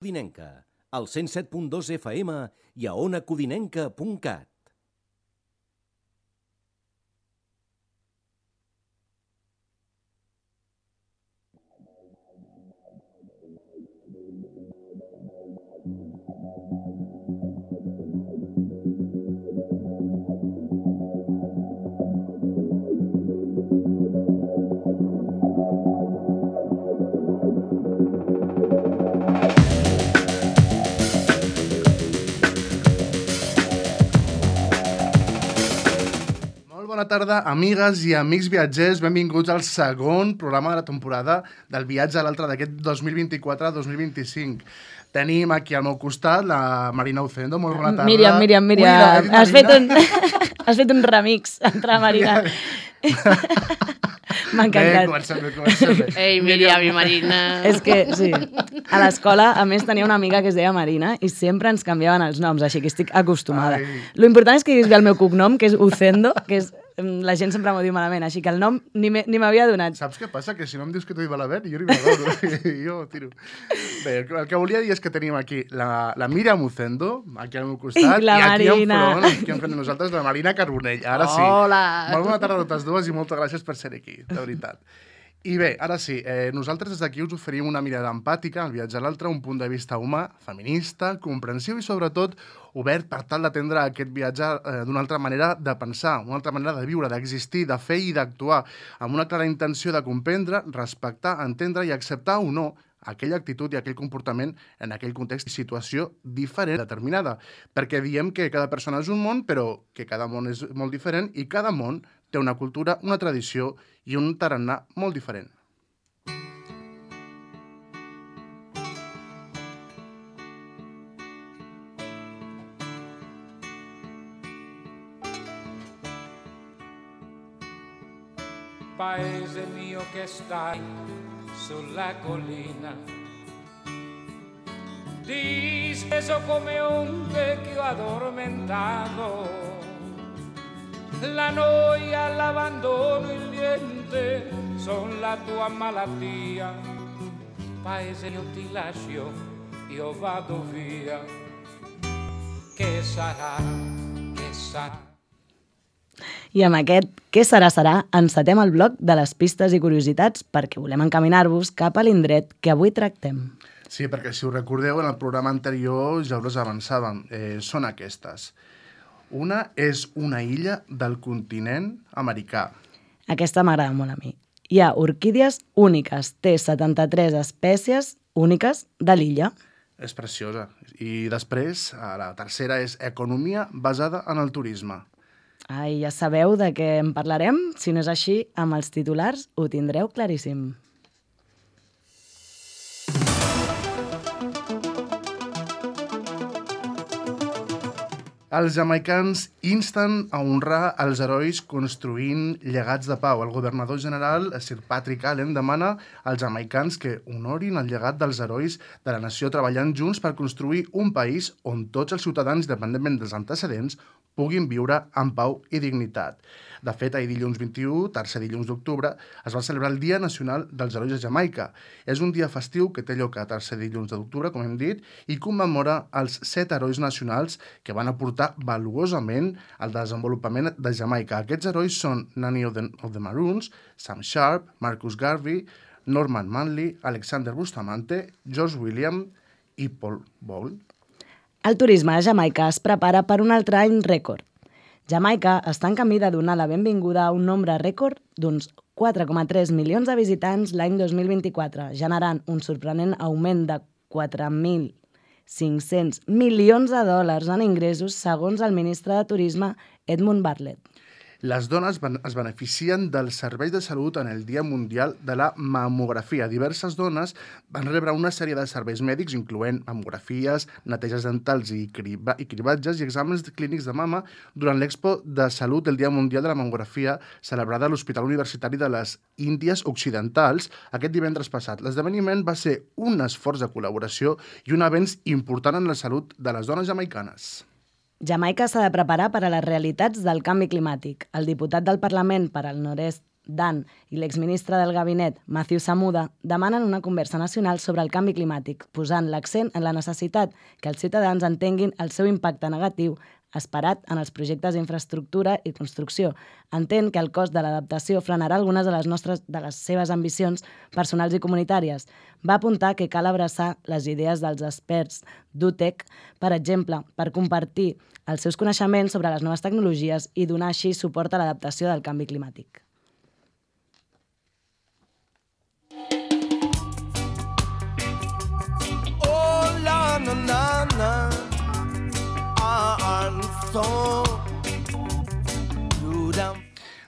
Codinenca, al 107.2 FM i a onacodinenca.cat. Bona tarda, amigues i amics viatgers. Benvinguts al segon programa de la temporada del viatge a l'altre d'aquest 2024-2025. Tenim aquí al meu costat la Marina Ucendo. Molt bona tarda. Míriam. Has fet un remix entre la Marina. M'ha encantat. Comencem bé. Ei, Míriam i Marina. És que, sí, a l'escola, a més, tenia una amiga que es deia Marina i sempre ens canviaven els noms, així que estic acostumada. Lo important és que diguis bé el meu cognom, que és Ucendo, que és... La gent sempre m'ho diu malament, així que el nom ni m'havia donat. Saps què passa? Que si no em dius que t'ho diu malament, jo ni me l'adoro. Jo tiro. Bé, el que volia dir és que tenim aquí la Míriam Ucendo, aquí al meu costat, la i Marina. aquí enfront de nosaltres, la Marina Carbonell. Ara sí. Hola. Molt bona tarda a totes dues i moltes gràcies per ser aquí, de veritat. I bé, ara sí, nosaltres des d'aquí us oferim una mirada empàtica al viatge a l'altre, un punt de vista humà, feminista, comprensiu i sobretot obert per tal d'atendre aquest viatge d'una altra manera de pensar, una altra manera de viure, d'existir, de fer i d'actuar, amb una clara intenció de comprendre, respectar, entendre i acceptar o no aquella actitud i aquell comportament en aquell context i situació diferent, determinada. Perquè diem que cada persona és un món, però que cada món és molt diferent i cada món té una cultura, una tradició i un tarannà molt diferent. Paese mio che stai sulla collina, disteso come un vecchio addormentato, la noia, l'abbandono, il niente son la tua malattia. Paese io ti lascio, io vado via, che sarà, che sarà. I amb aquest Què serà, encetem el bloc de les pistes i curiositats perquè volem encaminar-vos cap a l'indret que avui tractem. Sí, perquè si us recordeu, en el programa anterior ja us avançàvem. Són aquestes. Una és una illa del continent americà. Aquesta m'agrada molt a mi. Hi ha orquídies úniques, té 73 espècies úniques de l'illa. És preciosa. I després, la tercera és economia basada en el turisme. Ai, ja sabeu de què en parlarem? Si no és així, amb els titulars ho tindreu claríssim. Els jamaicans insten a honrar els herois construint llegats de pau. El governador general, Sir Patrick Allen, demana als jamaicans que honorin el llegat dels herois de la nació treballant junts per construir un país on tots els ciutadans, independentment dels antecedents, puguin viure en pau i dignitat. De fet, ahir dilluns 21, tercer dilluns d'octubre, es va celebrar el Dia Nacional dels Herois de Jamaica. És un dia festiu que té lloc a tercer dilluns d'octubre, com hem dit, i commemora els 7 herois nacionals que van aportar valuosament al desenvolupament de Jamaica. Aquests herois són Nanny of the Maroons, Sam Sharp, Marcus Garvey, Norman Manley, Alexander Bustamante, George William i Paul Bowles. El turisme a Jamaica es prepara per un altre any rècord. Jamaica està en camí de donar la benvinguda a un nombre rècord d'uns 4,3 milions de visitants l'any 2024, generant un sorprenent augment de 4.500 milions de dòlars en ingressos, segons el ministre de Turisme Edmund Bartlett. Les dones es beneficien dels serveis de salut en el Dia Mundial de la Mamografia. Diverses dones van rebre una sèrie de serveis mèdics, incloent mamografies, neteges dentals i cribatges i exàmens clínics de mama durant l'Expo de Salut del Dia Mundial de la Mamografia celebrada a l'Hospital Universitari de les Índies Occidentals aquest divendres passat. L'esdeveniment va ser un esforç de col·laboració i un avenç important en la salut de les dones jamaicanes. Jamaica s'ha de preparar per a les realitats del canvi climàtic. El diputat del Parlament per al Nord-est Dan i l'exministre del gabinet, Matthew Samuda, demanen una conversa nacional sobre el canvi climàtic, posant l'accent en la necessitat que els ciutadans entenguin el seu impacte negatiu esperat en els projectes d'infraestructura i construcció. Entén que el cost de l'adaptació frenarà algunes de les seves ambicions personals i comunitàries. Va apuntar que cal abraçar les idees dels experts d'UTEC, per exemple, per compartir els seus coneixements sobre les noves tecnologies i donar així suport a l'adaptació del canvi climàtic.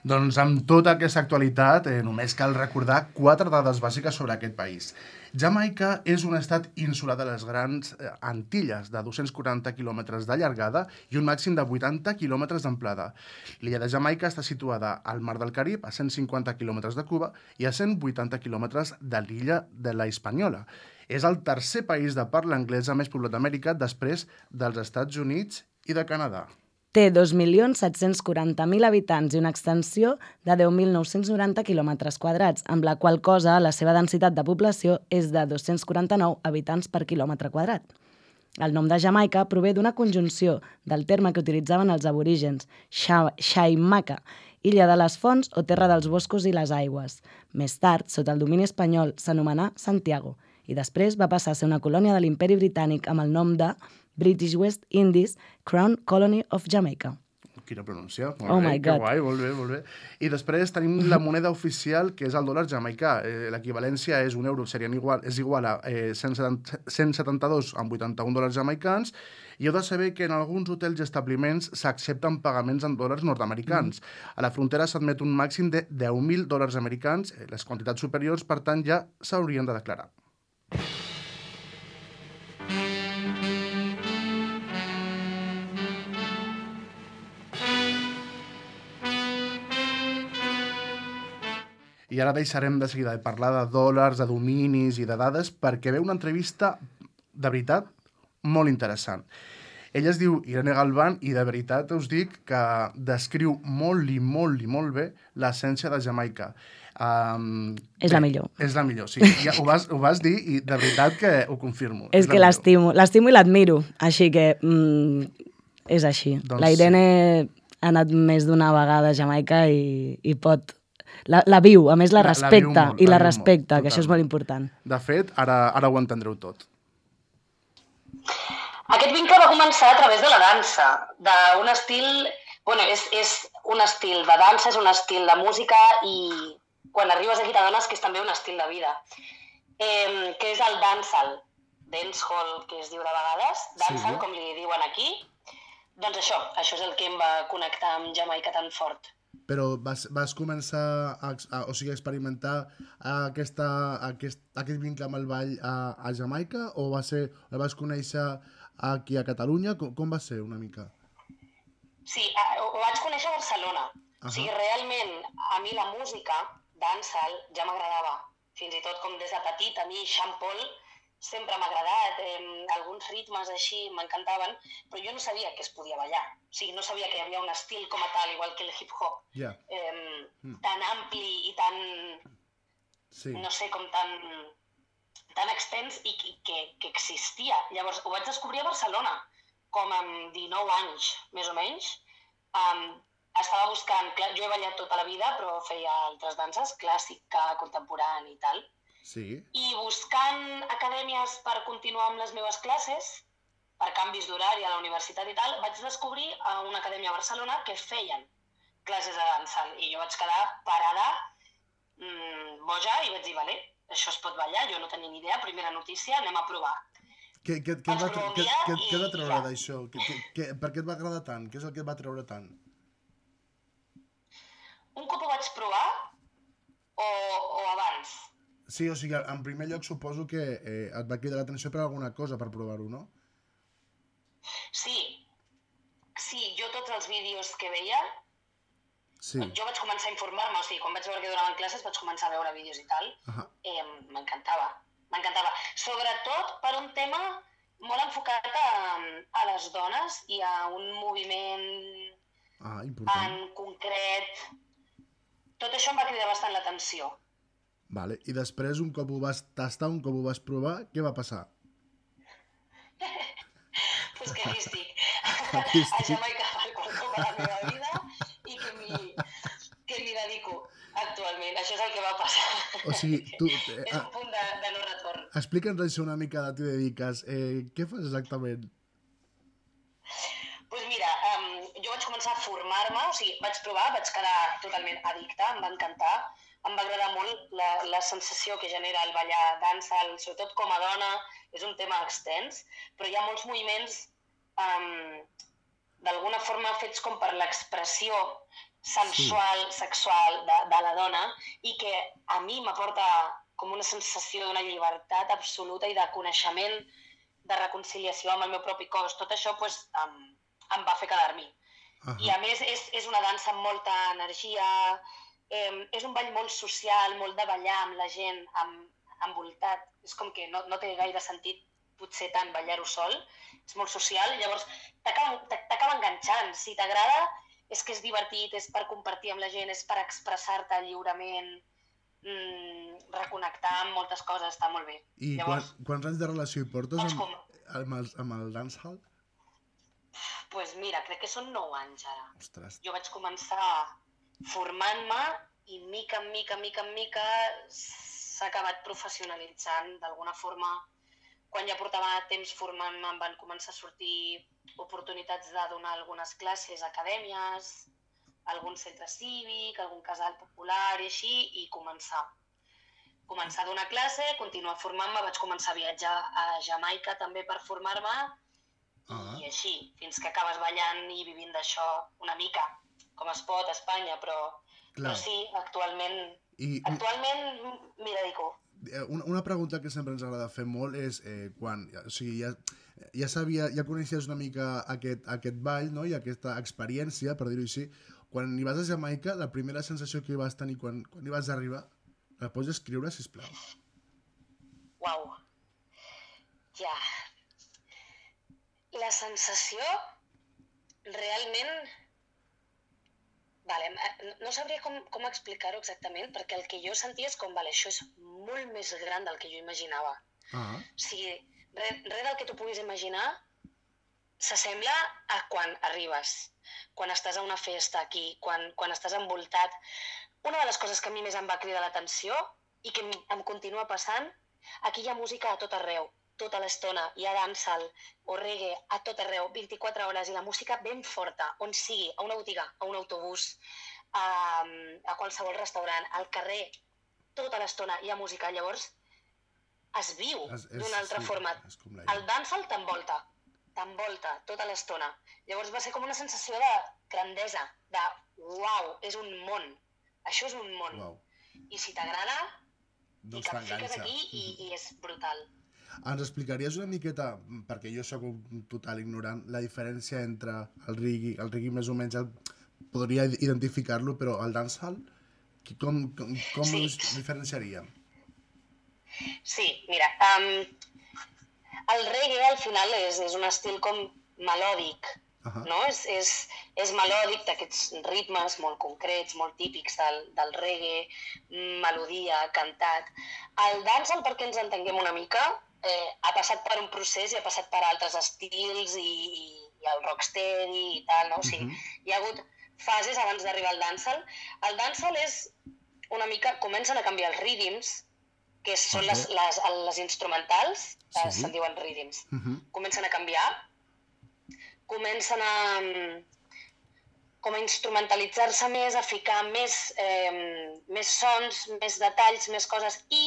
Doncs amb tota aquesta actualitat només cal recordar 4 dades bàsiques sobre aquest país. Jamaica és un estat insular de les grans Antilles, de 240 quilòmetres de llargada i un màxim de 80 quilòmetres d'amplada. L'illa de Jamaica està situada al Mar del Carib, a 150 quilòmetres de Cuba i a 180 quilòmetres de l'illa de la Hispaniola. És el tercer país de parla anglesa més poblat d'Amèrica després dels Estats Units i de Canadà. Té 2.740.000 habitants i una extensió de 10.990 quilòmetres quadrats, amb la qual cosa la seva densitat de població és de 249 habitants per quilòmetre quadrat. El nom de Jamaica prové d'una conjunció del terme que utilitzaven els aborígens, Xaimaca, illa de les fonts o terra dels boscos i les aigües. Més tard, sota el domini espanyol, s'anomenà Santiago i després va passar a ser una colònia de l'Imperi Britànic amb el nom de British West Indies Crown Colony of Jamaica. Quina pronúncia. Oh my God. Que guai, molt bé, molt bé. I després tenim la moneda oficial, que és el dòlar jamaicà. L'equivalència és un euro, és igual a 172,81 dòlars jamaicans, i heu de saber que en alguns hotels i establiments s'accepten pagaments en dòlars nord-americans. A la frontera s'admet un màxim de 10.000 dòlars americans. Les quantitats superiors, per tant, ja s'haurien de declarar. I ara deixarem de seguida de parlar de dòlars, de dominis i de dades perquè ve una entrevista, de veritat, molt interessant. Ella es diu Irene Galván i de veritat us dic que descriu molt i molt bé l'essència de Jamaica. És la millor. És la millor, sí. Ja ho vas dir i de veritat que ho confirmo. És que l'estimo i l'admiro, així que és així. Doncs la Irene ha anat més d'una vegada a Jamaica i pot... La viu, a més la respecta, i la respecta, que això és molt important. De fet, ara ho entendreu tot. Aquest vincle va començar a través de la dansa, d'un estil... Bueno, és un estil de dansa, és un estil de música i quan arribes aquí t'adones que és també un estil de vida, que és el dancehall, dancehall, que es diu de vegades, dancehall, com li diuen aquí. Doncs això és el que em va connectar amb Jamaica tan fort. Però vas començar a experimentar aquest vincle amb el ball a Jamaica o el vas conèixer aquí a Catalunya? Com va ser una mica? Sí, ho vaig conèixer a Barcelona. O sigui, realment, a mi la música, dancehall, ja m'agradava. Fins i tot com des de petit, a mi Sean Paul sempre m'ha agradat, alguns ritmes així m'encantaven, però jo no sabia que es podia ballar. O sigui, no sabia que hi havia un estil com a tal, igual que el hip-hop, tan ampli i tan, no sé, com tan extens i que existia. Llavors, ho vaig descobrir a Barcelona, com amb 19 anys, més o menys. Estava buscant, jo he ballat tota la vida, però feia altres danses, clàssica, contemporània i tal. Sí. I buscant acadèmies per continuar amb les meves classes, per canvis d'horari a la universitat i tal, vaig descobrir a una acadèmia a Barcelona que feien classes de dansa. I jo vaig quedar parada, boja, i vaig dir, vale, això es pot ballar, jo no tenia ni idea, primera notícia, anem a provar. Què et va treure d'això? Per què et va agradar tant? Què és el que et va treure tant? Un cop ho vaig provar o abans? Sí, o sigui, en primer lloc suposo que et va cridar l'atenció per alguna cosa per provar-ho, no? Sí, jo tots els vídeos que veia, jo vaig començar a informar-me, o sigui, quan vaig veure que donaven classes vaig començar a veure vídeos i tal, m'encantava. Sobretot per un tema molt enfocat a les dones i a un moviment en concret. tot això em va cridar bastant l'atenció. Vale. I després, un cop ho vas tastar, un cop ho vas provar, què va passar? Pues que aquí estic. A Jamaica per quart cop a la meva vida i que m'hi dedico actualment. Això és el que va passar. O sigui, tu... És un punt de no retorn. Explica'ns això una mica de t'hi dediques. Què fas exactament? Doncs mira, jo vaig començar a formar-me, o sigui, vaig provar, vaig quedar totalment addicta, em va encantar, em va agradar molt la sensació que genera el ballar dancehall, sobretot com a dona, és un tema extens, però hi ha molts moviments d'alguna forma fets com per l'expressió sensual, sexual de la dona i que a mi m'aporta com una sensació d'una llibertat absoluta i de coneixement, de reconciliació amb el meu propi cos. Tot això doncs, em va fer quedar-m'hi. I a més és una dansa amb molta energia, és un ball molt social, molt de ballar amb la gent, envoltat. És com que no té gaire sentit potser tant ballar-ho sol, és molt social, llavors t'acaba enganxant. Si t'agrada és que és divertit, és per compartir amb la gent, és per expressar-te lliurement, reconnectar amb moltes coses, està molt bé. I llavors, quants anys de relació hi portes amb el dancehall? Doncs mira, crec que són 9 anys ara. Ostres. Jo vaig començar formant-me i mica en mica s'ha acabat professionalitzant d'alguna forma. Quan ja portava temps formant-me em van començar a sortir oportunitats de donar algunes classes a acadèmies, algun centre cívic, algun casal popular i així, i començar a donar classe, continuar formant-me, vaig començar a viatjar a Jamaica també per formar-me, i així, fins que acabes ballant i vivint d'això una mica, com es pot a Espanya, però sí, actualment m'hi dedico. Una pregunta que sempre ens agrada fer molt és quan, o sigui, ja coneixies una mica aquest ball, no? I aquesta experiència, per dir-ho així, quan hi vas a Jamaica, la primera sensació que hi vas tenir quan hi vas arribar, la pots escriure, sisplau? Uau, ja... La sensació, realment, no sabria com explicar-ho exactament, perquè el que jo sentia és com, això és molt més gran del que jo imaginava. O sigui, res del que tu puguis imaginar s'assembla a quan arribes, quan estàs a una festa aquí, quan estàs envoltat. Una de les coses que a mi més em va cridar l'atenció i que em continua passant, aquí hi ha música a tot arreu. Tota l'estona, hi ha dancehall o reggae a tot arreu, 24 hores, i la música ben forta, on sigui, a una botiga, a un autobús, a qualsevol restaurant, al carrer, tota l'estona hi ha música. Llavors, es viu d'una altra forma. El dancehall t'envolta tota l'estona. Llavors va ser com una sensació de grandesa, de uau, és un món, això és un món. I si t'agrada, i que et fiques aquí i és brutal. Ens explicaries una miqueta, perquè jo sóc un total ignorant, la diferència entre el reggae més o menys podria identificar-lo, però el dancehall, com us diferenciaríem? Sí, mira, el reggae al final és un estil com melòdic, no? És melòdic d'aquests ritmes molt concrets, molt típics del reggae, melodia, cantat. El dancehall, perquè ens entenguem una mica, ha passat per un procés i ha passat per altres estils i el rocksteady i tal, no? O sigui, hi ha hagut fases abans d'arribar al dancehall. El dancehall és una mica... Comencen a canviar els rhythms, que són les instrumentals, se'n diuen rhythms. Comencen a canviar, comencen a instrumentalitzar-se més, a ficar més sons, més detalls, més coses, i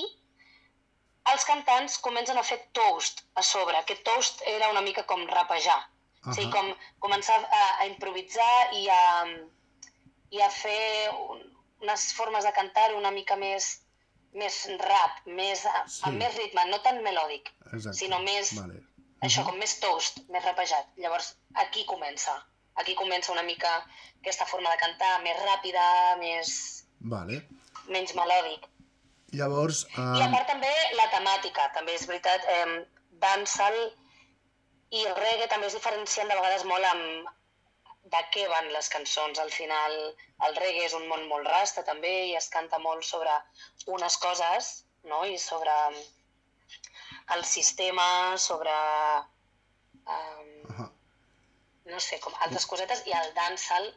els cantants comencen a fer toast a sobre. Aquest toast era una mica com rapejar. O sigui, com començar a improvisar i a fer unes formes de cantar una mica més rap, amb més ritme, no tan melòdic, sinó més, això, com més toast, més rapejat. Llavors, aquí comença una mica aquesta forma de cantar més ràpida, menys melòdic. Llavors... I a part també la temàtica, també és veritat, dancehall i el reggae també es diferencien de vegades molt de què van les cançons. Al final, el reggae és un món molt rasta també i es canta molt sobre unes coses, no? I sobre el sistema, sobre no sé, com altres cosetes, i el dancehall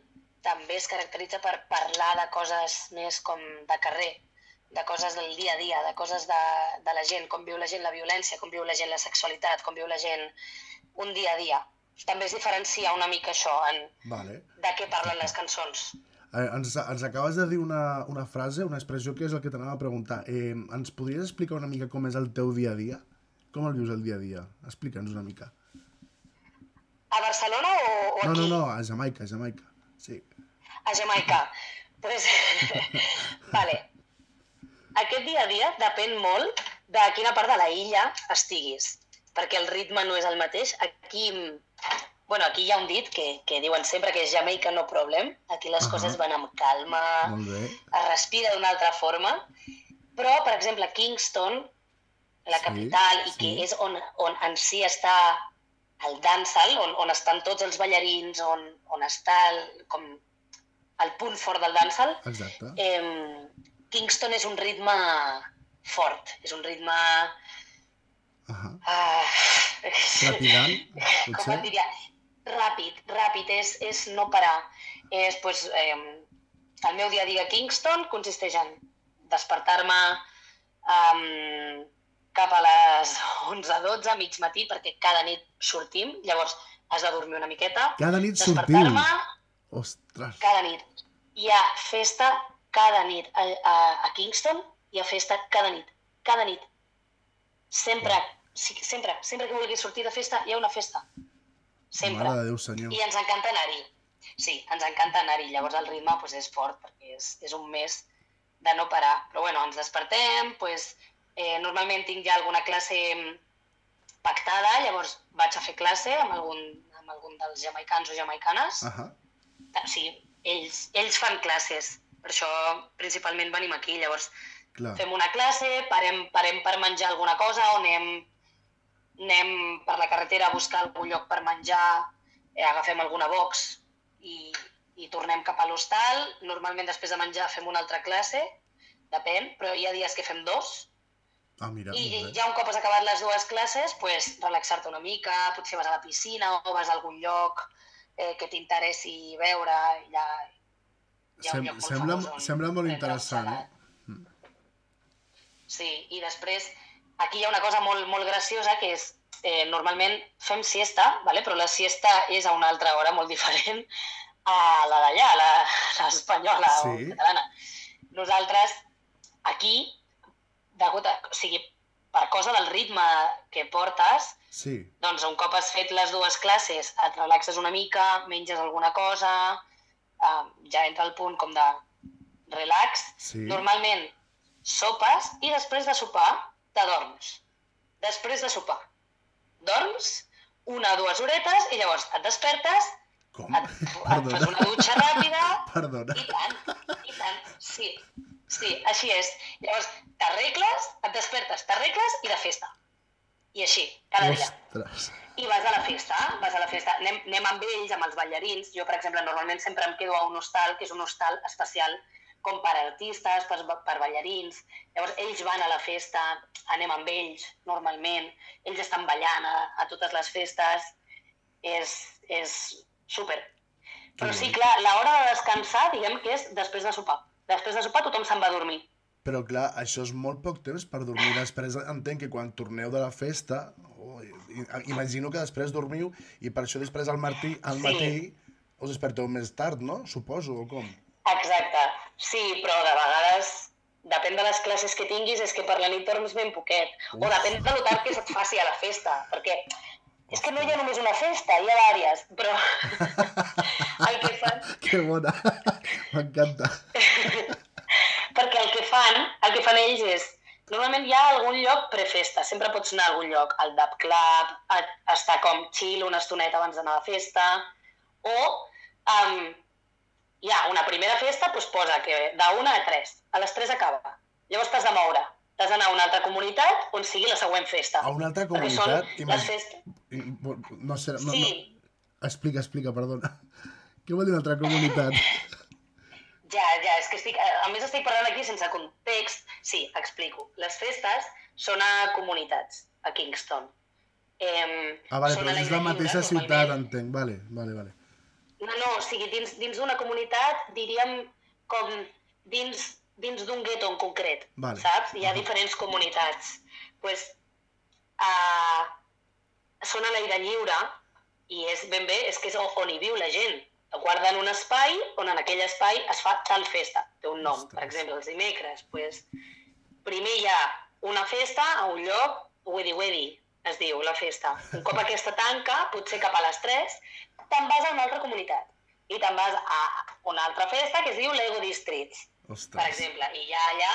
també es caracteritza per parlar de coses més com de carrer, de coses del dia a dia, de coses de la gent, com viu la gent la violència, com viu la gent la sexualitat, com viu la gent un dia a dia. També es diferencia una mica això, de què parlen les cançons. Ens acabes de dir una frase, una expressió que és el que t'anava a preguntar. Ens podries explicar una mica com és el teu dia a dia? Com el vius el dia a dia? Explica'ns una mica. A Barcelona o aquí? No, a Jamaica, sí. A Jamaica. Pues, vale. Aquest dia a dia depèn molt de quina part de la illa estiguis, perquè el ritme no és el mateix. Aquí hi ha un dit que diuen sempre que és Jamaica no problem. Aquí les coses van amb calma, es respira d'una altra forma. Però, per exemple, Kingston, la capital, i que és on en si està el dancehall, on estan tots els ballarins, on està el punt fort del dancehall. Exacte. Kingston és un ritme fort, és un ritme... Trepidant, potser? Com et diria? Ràpid, és no parar. El meu dia a dia a Kingston consisteix en despertar-me cap a les 11-12, mig matí, perquè cada nit sortim, llavors has de dormir una miqueta. Cada nit sortim? Ostres! Cada nit. Hi ha festa cada nit. A Kingston hi ha festa cada nit. Cada nit. Sempre que vulguis sortir de festa, hi ha una festa. Sempre. Mare de Déu, senyor. I ens encanta anar-hi. Sí, ens encanta anar-hi. Llavors el ritme és fort, perquè és un mes de no parar. Però bueno, ens despertem, normalment tinc ja alguna classe pactada, llavors vaig a fer classe amb algun dels jamaicans o jamaicanes. Sí, ells fan classes, per això principalment venim aquí. Llavors fem una classe, parem per menjar alguna cosa o anem per la carretera a buscar algun lloc per menjar, agafem alguna box i tornem cap a l'hostal. Normalment després de menjar fem una altra classe, depèn, però hi ha dies que fem 2. I ja un cop has acabat les 2 classes, relaxar-te una mica, potser vas a la piscina o vas a algun lloc que t'interessi veure. Hi ha un lloc molt famós. Sembla molt interessant, Sí, i després aquí hi ha una cosa molt graciosa que és normalment fem siesta, però la siesta és a una altra hora molt diferent a la d'allà, l'espanyola o catalana. Nosaltres aquí, per cosa del ritme que portes, doncs un cop has fet les 2 classes et relaxes una mica, menges alguna cosa, ja entra el punt com de relax. Normalment sopes i després de sopar t'adorms. Després de sopar dorms 1 o 2 horetes i llavors et despertes, et fas una dutxa ràpida. Perdona. I tant, sí, així és. Llavors t'arregles, et despertes, t'arregles i de festa. I així, cada dia. I vas a la festa, anem amb ells, amb els ballarins. Jo, per exemple, normalment sempre em quedo a un hostal, que és un hostal especial com per artistes, per ballarins. Llavors ells van a la festa, anem amb ells, normalment. Ells estan ballant a totes les festes. És súper. Però sí, clar, l'hora de descansar, diguem que és després de sopar. Després de sopar tothom se'n va a dormir. Però clar, això és molt poc temps per dormir. Després entenc que quan torneu de la festa, imagino que després dormiu i per això després al matí us desperteu més tard, no? Suposo, o com? Exacte, sí, però de vegades, depèn de les classes que tinguis, és que per la nit dorms ben poquet. O depèn de lo tard que se't faci a la festa, perquè és que no hi ha només una festa, hi ha vàries, però el que fan... Que bona, m'encanta. Perquè el que fan ells és... Normalment hi ha algun lloc prefesta, sempre pots anar a algun lloc, al Dub Club, estar com chill una estoneta abans d'anar a la festa, o hi ha una primera festa, doncs posa que d'1 a 3, a les 3 acaba. Llavors t'has de moure, t'has d'anar a una altra comunitat on sigui la següent festa. A una altra comunitat? Les festes... No sé, no, sí. Explica, perdona. Què vol dir una altra comunitat? Ja, és que a més estic parlant aquí sense context. Sí, explico. Les festes són a comunitats, a Kingston. Vale, però és la mateixa ciutat, entenc. Vale. No, o sigui, dins d'una comunitat, diríem com dins d'un gueto en concret, saps? Hi ha diferents comunitats. Doncs són a l'aire lliure i és ben bé, és que és on hi viu la gent. Guarden un espai on en aquell espai es fa tal festa. Té un nom, per exemple, els dimecres. Primer hi ha una festa a un lloc, Wedi, es diu la festa. Un cop aquesta tanca, potser cap a les 3, te'n vas a una altra comunitat. I te'n vas a una altra festa que es diu Lego Districts, per exemple. I ja allà,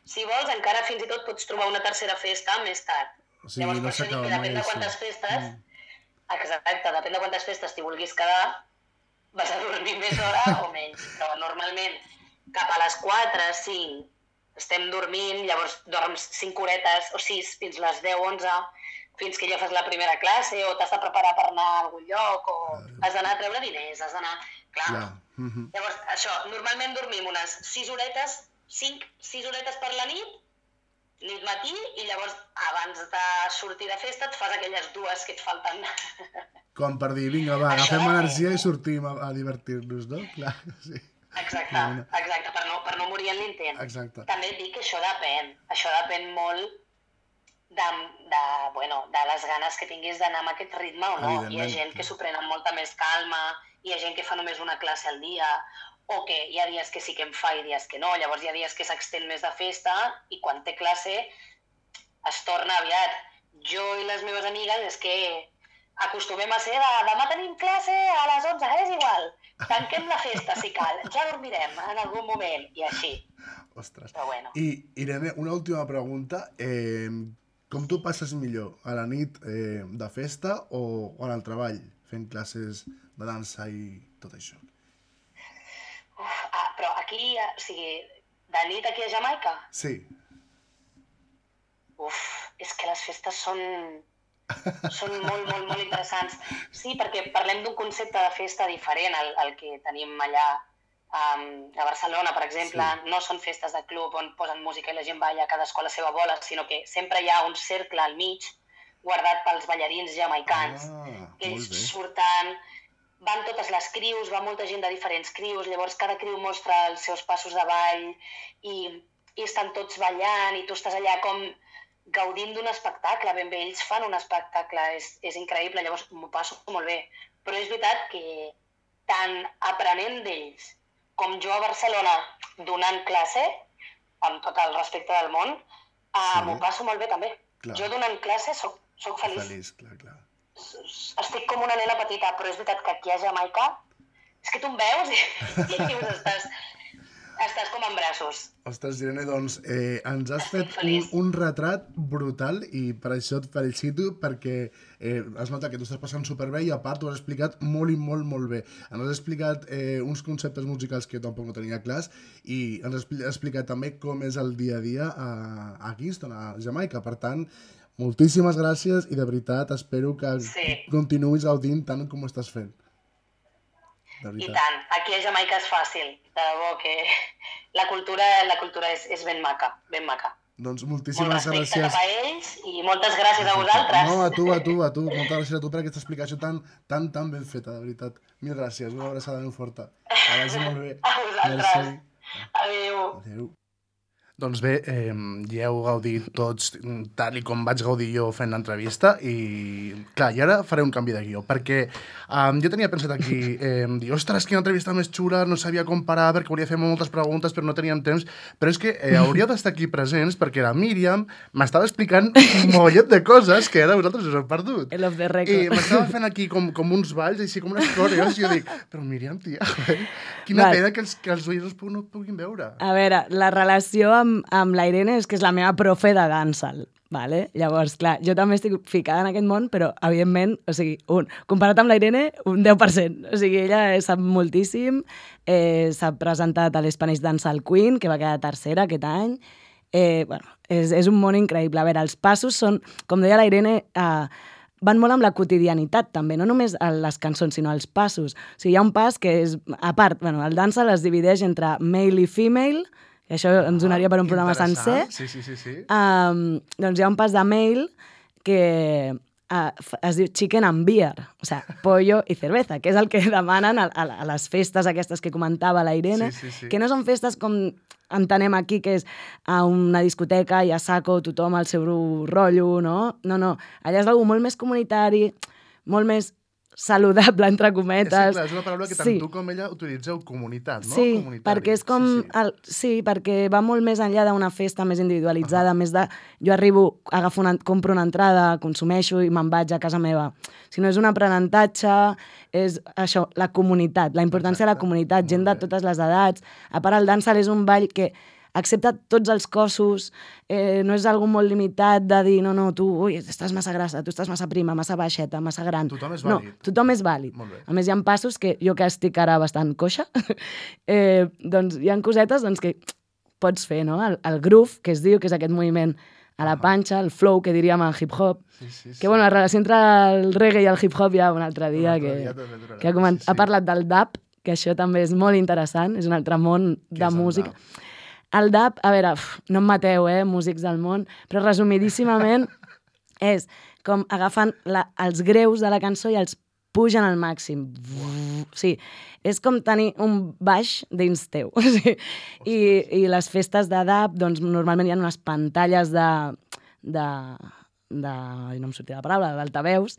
si vols, encara fins i tot pots trobar una tercera festa més tard. O sigui, no s'acaba mai. Depèn de quantes festes, exacte, depèn de quantes festes t'hi vulguis quedar, vas a dormir més hora o menys. Però normalment cap a les 4, 5, estem dormint, llavors dorms 5 horetes o 6 fins les 10, 11, fins que ja fas la primera classe o t'has de preparar per anar a algun lloc o has d'anar a treure diners, has d'anar... Clar. Llavors, això, normalment dormim unes 6 horetes, 6 horetes per la nit matí, i llavors abans de sortir de festa et fas aquelles 2 que et falten. Com per dir, vinga, va, agafem energia i sortim a divertir-nos, no? Clar, sí. Exacte, per no morir en l'intent. Exacte. També et dic que això depèn molt de les ganes que tinguis d'anar amb aquest ritme o no. Hi ha gent que s'ho pren amb molta més calma, hi ha gent que fa només una classe al dia, o que hi ha dies que sí que en fa i dies que no, llavors hi ha dies que s'extén més de festa i quan té classe es torna aviat. Jo i les meves amigues és que acostumem a ser demà tenim classe a les 11, és igual, tanquem la festa si cal, ja dormirem en algun moment, i així. Ostres. Però bueno. I Irene, una última pregunta. Com tu passes millor, a la nit de festa o en el treball, fent classes de dansa i tot això? Però aquí, o sigui, de nit aquí a Jamaica? Sí. És que les festes són molt interessants. Sí, perquè parlem d'un concepte de festa diferent al que tenim allà a Barcelona, per exemple. Sí. No són festes de club on posen música i la gent balla cadascú a la seva bola, sinó que sempre hi ha un cercle al mig guardat pels ballarins jamaicans. Ells surten, van totes les crius, va molta gent de diferents crius, llavors cada criu mostra els seus passos de ball i estan tots ballant i tu estàs allà com gaudint d'un espectacle, ben bé, ells fan un espectacle, és increïble, llavors m'ho passo molt bé. Però és veritat que tant aprenent d'ells com jo a Barcelona donant classe, amb tot el respecte del món, m'ho passo molt bé també. Clar. Jo donant classe soc feliç. Feliç, clar. Estic com una nena petita, però és veritat que aquí a Jamaica és que tu em veus i dius, estàs com en braços. Ostres, Irene, doncs ens has fet un retrat brutal i per això et felicito perquè es nota que t'ho estàs passant superbé i a part t'ho has explicat molt i molt bé. Ens has explicat uns conceptes musicals que jo tampoc no tenia clars i ens has explicat també com és el dia a dia a Kingston, a Jamaica. Per tant, moltíssimes gràcies i de veritat espero que continuïs gaudint tant com ho estàs fent. I tant, aquí a Jamaica és fàcil, de debò que la cultura és ben maca, ben maca. Doncs moltíssimes gràcies. Molt respecte cap a ells i moltes gràcies a vosaltres. No, a tu. Moltes gràcies a tu per aquesta explicació tan ben feta, de veritat. Mil gràcies, una abraçada molt forta. Que vagi molt bé. A vosaltres. Adéu. Doncs bé, ja heu gaudit tots tal i com vaig gaudir jo fent l'entrevista i, clar, i ara faré un canvi de guió, perquè jo tenia pensat aquí, dir, ostres, quina entrevista més xula, no sabia com parar perquè volia fer moltes preguntes però no teníem temps, però és que hauríeu d'estar aquí presents perquè la Míriam m'estava explicant un mollet de coses que ara vosaltres us heu perdut. El off the record. I m'estava fent aquí com uns balls, així com unes coreos, i jo dic, però Míriam, tia, quina pena que els oients no puguin veure. A veure, la relació amb la Irene és que és la meva profe de dancehall, vale? Llavors, clar, jo també estic ficada en aquest món, però, evidentment, o sigui, comparat amb la Irene, un 10%. O sigui, ella sap moltíssim, s'ha presentat a l'Spanish Dancehall Queen, que va quedar tercera aquest any. Bueno, és un món increïble. A veure, els passos són, com deia la Irene, van molt amb la quotidianitat, també, no només les cançons, sinó els passos. O sigui, hi ha un pas que és, a part, bueno, el dancehall es divideix entre male i female, que això ens donaria per un programa sencer. Sí. Doncs hi ha un pas de male que es diu chicken and beer, o sigui, pollo i cerveza, que és el que demanen a les festes aquestes que comentava la Irene, que no són festes com entenem aquí, que és a una discoteca i a saco tothom al seu rotllo, no? No, allà és algo molt més comunitari, molt més saludable, entre cometes. Sí, clar, és una paraula que tant tu com ella utilitzeu, comunitat, no? Sí, comunitari. perquè és com... Sí, perquè va molt més enllà d'una festa més individualitzada, més de... Jo arribo, compro una entrada, consumeixo i me'n vaig a casa meva. Si no és un aprenentatge, és això, la comunitat, la importància de la comunitat, gent de totes les edats. A part, el dancehall és un ball que accepta tots els cossos, no és algo molt limitat de dir, no, tu, estàs massa grassa, tu estàs massa prima, massa baixeta, massa gran. Tothom és vàlid. No, tothom és vàlid. A més, hi ha passos que jo que estic ara bastant coixa, doncs hi ha cosetes que pots fer, no? El groove, que es diu, que és aquest moviment a la panxa, el flow, que diríem en hip-hop, que, bueno, la relació entre el reggae i el hip-hop ja un altre dia, que ha parlat del dub, que això també és molt interessant, és un altre món de música. El dub, a veure, no em mateu, músics del món, però resumidíssimament és com agafen els greus de la cançó i els pugen al màxim. Sí, és com tenir un baix dins teu. I les festes de dub, doncs normalment hi ha unes pantalles no em sortia la paraula, d'altaveus,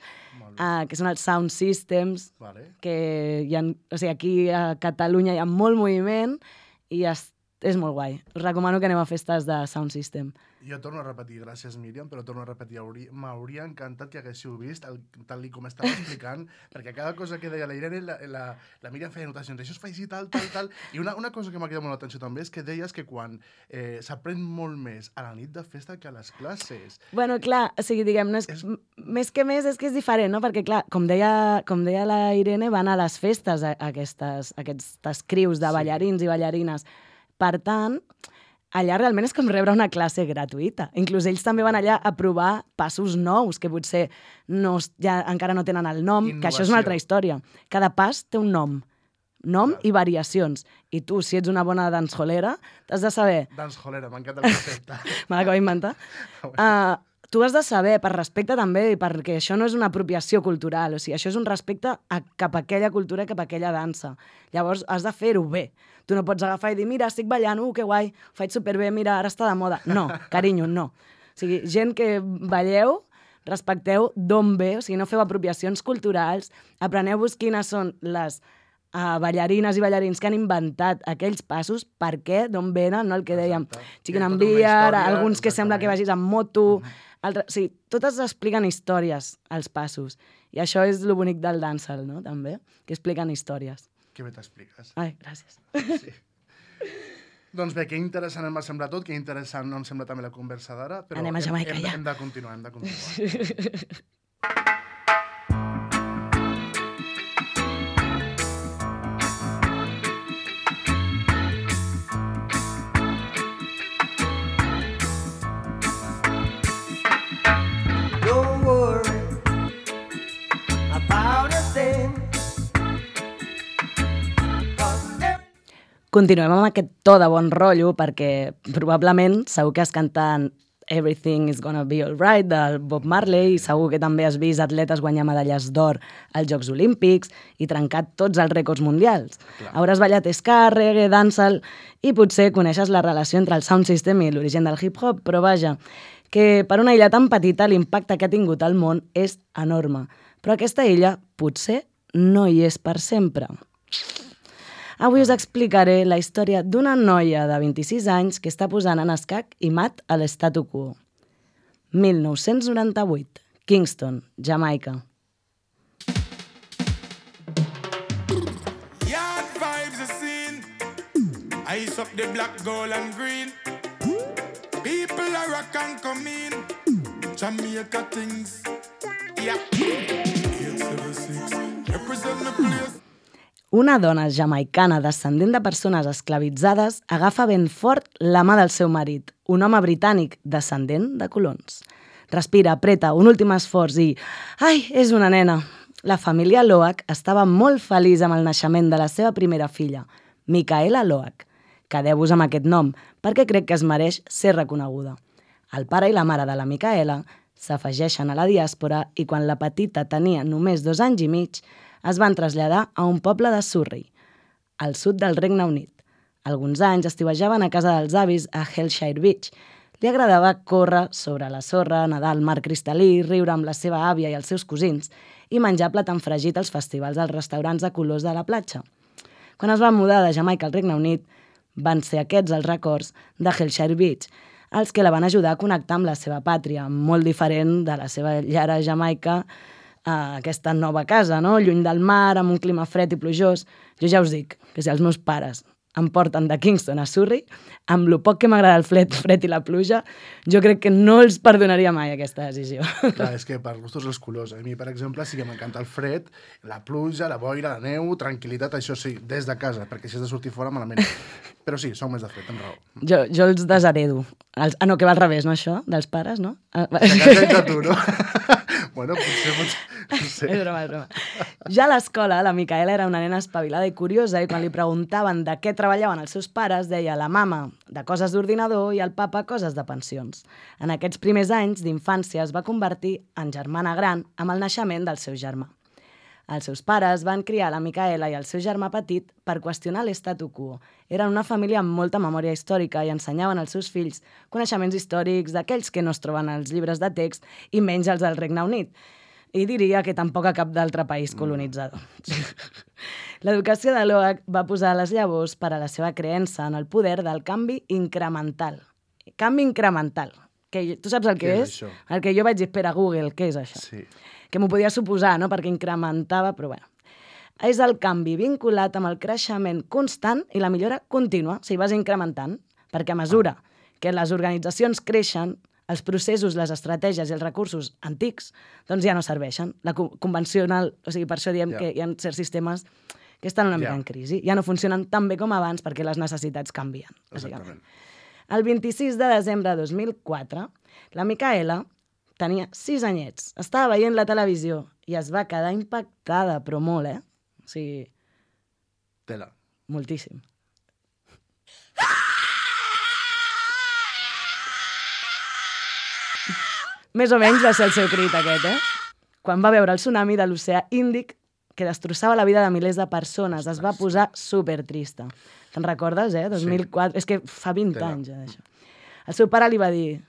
que són els sound systems, que hi ha, o sigui, aquí a Catalunya hi ha molt moviment i és molt guai. Us recomano que aneu a festes de sound system. Jo torno a repetir, gràcies Míriam, però torno a repetir, m'hauria encantat que haguéssiu vist, tal com estava explicant, perquè cada cosa que deia la Irene, la Míriam feia anotacions, això es fa així, tal. I una cosa que m'ha cridat molt l'atenció també és que deies que quan s'aprèn molt més a la nit de festa que a les classes. Bueno, clar, o sigui, diguem, més que és que és diferent, no? Perquè, clar, com deia la Irene, van a les festes aquestes crius de ballarins i ballarines. Per tant, allà realment és com rebre una classe gratuïta. Inclús ells també van allà a provar passos nous, que potser encara no tenen el nom, que això és una altra història. Cada pas té un nom i variacions. I tu, si ets una bona dancehallera, t'has de saber... Dancehallera, m'encanta el concepte. Me l'acabo d'inventar. Tu has de saber, per respecte també, perquè això no és una apropiació cultural, o sigui, això és un respecte cap a aquella cultura, cap a aquella dansa. Llavors, has de fer-ho bé. Tu no pots agafar i dir, mira, estic ballant, que guai, ho faig superbé, mira, ara està de moda. No, carinyo, no. O sigui, gent que balleu, respecteu d'on ve, o sigui, no feu apropiacions culturals, apreneu-vos quines són les ballarines i ballarins que han inventat aquells passos, per què, d'on venen, no el que dèiem, chicken and beer, alguns que sembla que vagis amb moto... Sí, totes expliquen històries, els passos. I això és lo bonic del dancehall, no?, també, que expliquen històries. Que bé t'expliques. Ai, gràcies. Sí. Doncs bé, que interessant em va semblar tot, que interessant em sembla també la conversa d'ara, però anem a Jamaica ja. Hem de continuar. Continuem amb aquest to de bon rotllo perquè probablement segur que has cantat Everything is Gonna Be Alright del Bob Marley i segur que també has vist atletes guanyar medalles d'or als Jocs Olímpics i trencat tots els rècords mundials. Clar. Hauràs ballat ska, reggae, dancehall i potser coneixes la relació entre el sound system i l'origen del hip-hop, però vaja, que per una illa tan petita l'impacte que ha tingut al món és enorme. Però aquesta illa potser no hi és per sempre. Avui us explicaré la història d'una noia de 26 anys que està posant en escac i mat a l'statu quo. 1998, Kingston, Jamaica. Yard vibes are seen. Ice up the black, gold and green. People are rock and come in. Jamaica things. Yeah. 876. Represent the place. Una dona jamaicana descendent de persones esclavitzades agafa ben fort la mà del seu marit, un home britànic descendent de colons. Respira, apreta, un últim esforç i... Ai, és una nena! La família Loach estava molt feliç amb el naixement de la seva primera filla, Micaela Loach. Quedeu-vos amb aquest nom, perquè crec que es mereix ser reconeguda. El pare i la mare de la Micaela s'afegeixen a la diàspora i quan la petita tenia només 2 anys i mig, es van traslladar a un poble de Surrey, al sud del Regne Unit. Alguns anys estiuejaven a casa dels avis a Hellshire Beach. Li agradava córrer sobre la sorra, nedar al mar cristal·lí, riure amb la seva àvia i els seus cosins i menjar plat enfregit als festivals als restaurants de colors de la platja. Quan es van mudar de Jamaica al Regne Unit, van ser aquests els records de Hellshire Beach, els que la van ajudar a connectar amb la seva pàtria, molt diferent de la seva llar a Jamaica, a aquesta nova casa, no? Lluny del mar, amb un clima fred i plujós. Jo ja us dic que si els meus pares em porten de Kingston a Surrey, amb lo poc que m'agrada el fred i la pluja, jo crec que no els perdonaria mai aquesta decisió. Clar, és que per gustos els colors. A mi, per exemple, sí que m'encanta el fred, la pluja, la boira, la neu, tranquil·litat, això sí, des de casa, perquè si has de sortir fora malament. Però sí, som més de fred, amb raó. Jo els desheredo. No, que va al revés, no, això? Dels pares, no? Se cansa de tu, no? Bueno, potser... No sé. És broma, és broma. Ja a l'escola, la Micaela era una nena espavilada i curiosa i quan li preguntaven de què treballaven els seus pares, deia la mama de coses d'ordinador i el papa coses de pensions. En aquests primers anys d'infància es va convertir en germana gran amb el naixement del seu germà. Els seus pares van criar la Micaela i el seu germà petit per qüestionar l'estatu quo. Eren una família amb molta memòria històrica i ensenyaven als seus fills coneixements històrics d'aquells que no es troben als llibres de text i menys els del Regne Unit. I diria que tampoc a cap d'altre país colonitzador. L'educació de Loach va posar les llavors per a la seva creença en el poder del canvi incremental. Canvi incremental. Que tu saps el que és? Això? El que jo vaig dir, espera, Google, què és això? Sí. Que m'ho podia suposar, no?, perquè incrementava, però bueno. És el canvi vinculat amb el creixement constant i la millora contínua, si vas incrementant, perquè a mesura que les organitzacions creixen, els processos, les estratègies i els recursos antics doncs ja no serveixen. La convencional, o sigui, per això diem que hi ha certs sistemes que estan una mica en crisi. Ja no funcionen tan bé com abans perquè les necessitats canvien. Exactament. El 26 de desembre de 2004, la Micaela tenia 6 anyets, estava veient la televisió i es va quedar impactada, però molt, O sigui... Tela. Moltíssim. Més o menys va ser el seu crit aquest, Quan va veure el tsunami de l'oceà Índic que destrossava la vida de milers de persones, es va posar supertrista. Te'n recordes, 2004? Sí. És que fa 20 anys, d'això. El seu pare li va dir,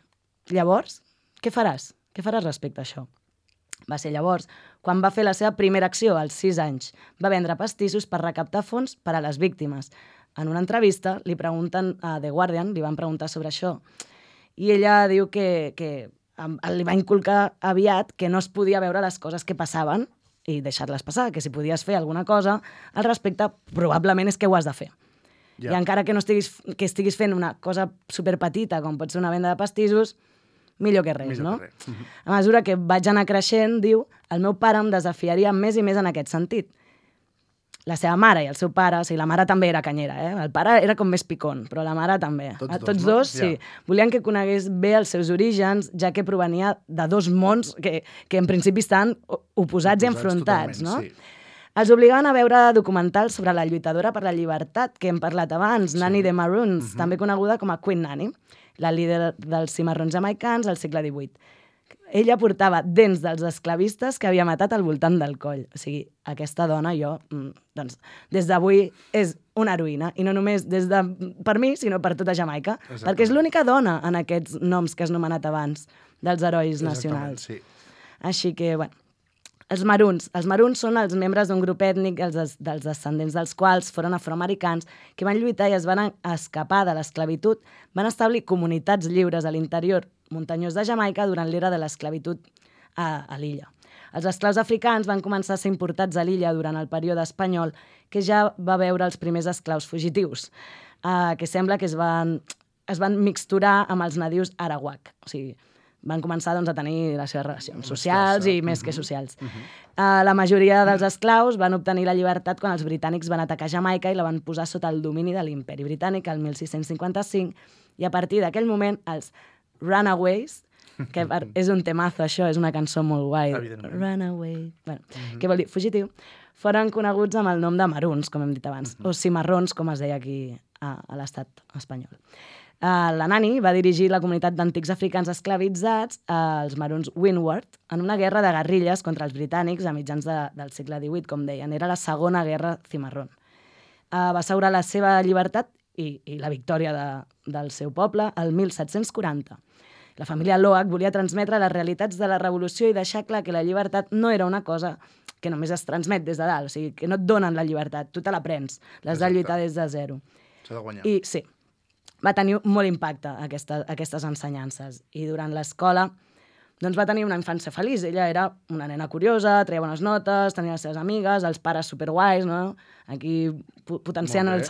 llavors, què faràs? Què faràs respecte a això? Va ser llavors quan va fer la seva primera acció, als 6 anys. Va vendre pastissos per recaptar fons per a les víctimes. En una entrevista li pregunten a The Guardian, li van preguntar sobre això, i ella diu que li va inculcar aviat que no es podia veure les coses que passaven i deixar-les passar, que si podies fer alguna cosa al respecte, probablement és que ho has de fer. I encara que no estiguis fent una cosa superpetita, com pot ser una venda de pastissos, millor que res, no? A mesura que vaig anar creixent, diu, el meu pare em desafiaria més i més en aquest sentit. La seva mare i el seu pare, o sigui, la mare també era canyera, El pare era com més picón, però la mare també. Tots dos, sí. Volien que conegués bé els seus orígens, ja que provenia de 2 mons que en principi estan oposats i enfrontats, no? Sí. Els obligaven a veure documentals sobre la lluitadora per la llibertat, que hem parlat abans, Nanny the Maroons, també coneguda com a Queen Nanny, la líder dels cimarrons jamaicans al segle XVIII. Ella portava dents dels esclavistes que havia matat al voltant del coll. O sigui, aquesta dona, doncs, des d'avui és una heroïna. I no només per mi, sinó per tota Jamaica. Perquè és l'única dona en aquests noms que has nomenat abans, dels herois nacionals. Sí. Així que, bueno, els maroons. Els maroons són els membres d'un grup ètnic dels descendents dels quals foren afroamericans que van lluitar i es van escapar de l'esclavitud, van establir comunitats lliures a l'interior muntanyós de Jamaica durant l'era de l'esclavitud a l'illa. Els esclaus africans van començar a ser importats a l'illa durant el període espanyol, que ja va veure els primers esclaus fugitius, que sembla que es van mixturar amb els nadius arawak. O sigui, van començar a tenir les seves relacions socials i més que socials. La majoria dels esclaus van obtenir la llibertat quan els britànics van atacar Jamaica i la van posar sota el domini de l'imperi britànic el 1655, i a partir d'aquell moment els runaways que és un temazo, això, és una cançó molt guai. Evidentment. Runaway. Bueno, què vol dir? Fugitiu. Foren coneguts amb el nom de maruns, com hem dit abans, o cimarrons, com es deia aquí a l'estat espanyol. La Nani va dirigir la comunitat d'antics africans esclavitzats, els maruns Windward, en una guerra de guerrilles contra els britànics a mitjans del segle XVIII, com deien. Era la segona guerra cimarrón. Va assegurar la seva llibertat i la victòria del seu poble el 1740. La família Loach volia transmetre les realitats de la revolució i deixar clar que la llibertat no era una cosa que només es transmet des de dalt, o sigui, que no et donen la llibertat, tu te la prens, l'has de lluitar des de zero. S'ha de guanyar. I sí, va tenir molt impacte aquestes ensenyances. I durant l'escola doncs va tenir una infància feliç. Ella era una nena curiosa, treia bones notes, tenia les seves amigues, els pares superguais, no? Aquí potenciant el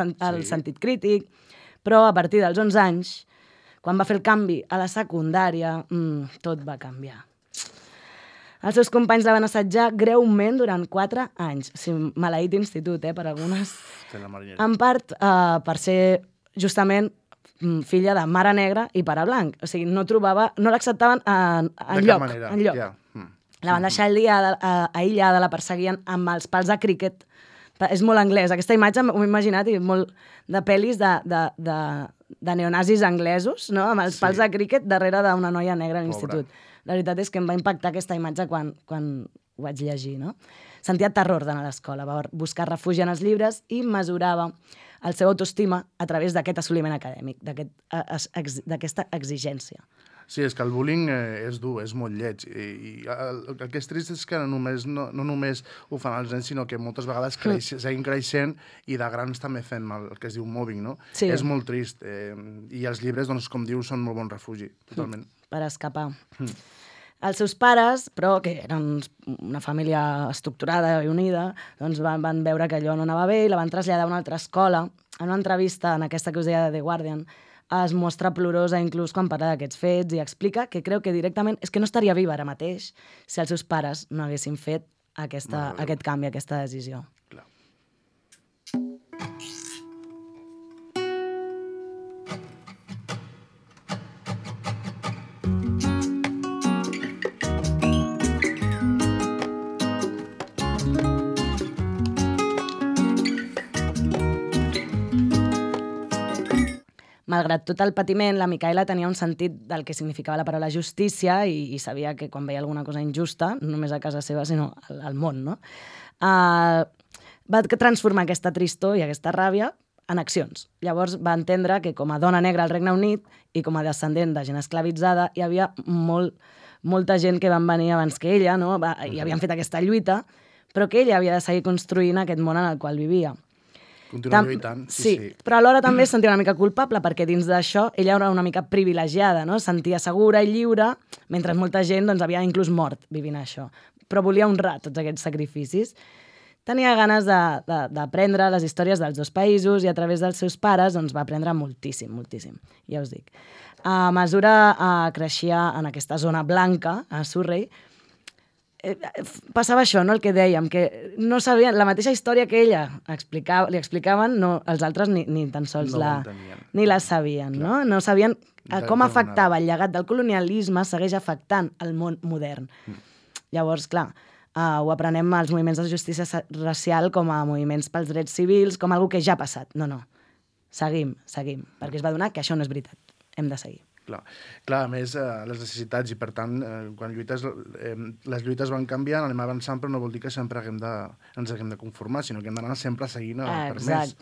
sentit crític. Però a partir dels 11 anys, quan va fer el canvi a la secundària, tot va canviar. Els seus companys la van assetjar greument durant 4 anys. O sigui, maleït institut, per algunes. En part per ser justament filla de mare negra i pare blanc. O sigui, no l'acceptaven enlloc. Yeah. La van deixar aïllada, la perseguien amb els pals de críquet. És molt anglès. Aquesta imatge m'ho he imaginat i molt de pel·lis de neonazis anglesos, no? Amb els pals de críquet darrere d'una noia negra a l'institut. La veritat és que em va impactar aquesta imatge quan ho vaig llegir, no? Sentia terror d'anar a l'escola, va buscar refugi en els llibres i mesurava el seu autoestima a través d'aquest assoliment acadèmic, d'aquesta exigència. Sí, és que el bullying és dur, és molt lleig. I el que és trist és que no només ho fan els nens, sinó que moltes vegades seguim creixent i de grans també fem el que es diu mobbing, no? Sí. És molt trist. I els llibres, doncs, com dius, són molt bon refugi, totalment. Per escapar. Els seus pares, però, que eren una família estructurada i unida, doncs van veure que allò no anava bé i la van traslladar a una altra escola. En una entrevista, en aquesta que us deia de The Guardian, es mostra plorosa inclús quan parla d'aquests fets i explica que creu que directament és que no estaria viva ara mateix si els seus pares no haguessin fet aquest canvi, aquesta decisió. Clar. Malgrat tot el patiment, la Micaela tenia un sentit del que significava la paraula justícia i sabia que quan veia alguna cosa injusta, no només a casa seva, sinó al món, no? Va transformar aquesta tristor i aquesta ràbia en accions. Llavors va entendre que com a dona negra al Regne Unit i com a descendent de gent esclavitzada hi havia molta gent que van venir abans que ella, no? I havien fet aquesta lluita, però que ella havia de seguir construint aquest món en el qual vivia. Continuar lluitant, sí. Però alhora també es sentia una mica culpable perquè dins d'això ella era una mica privilegiada, no? Es sentia segura i lliure, mentre molta gent doncs, havia inclús mort vivint això. Però volia honrar tots aquests sacrificis. Tenia ganes d'aprendre les històries dels dos països i a través dels seus pares doncs, va aprendre moltíssim, ja us dic. A mesura creixia en aquesta zona blanca, a Surrey, passava això, no? El que dèiem, que no sabien, la mateixa història que ella li explicaven, els altres ni tan sols ni la sabien, no? No sabien com afectava el llegat del colonialisme, segueix afectant el món modern. Llavors, clar, ho aprenem als moviments de justícia racial com a moviments pels drets civils, com algo que ja ha passat. No. Seguim, perquè es va adonar que això no és veritat. Hem de seguir. Clar, a més, les necessitats, i per tant, quan lluites, les lluites van canviant, anem avançant, però no vol dir que sempre ens haguem de conformar, sinó que hem d'anar sempre seguint per més.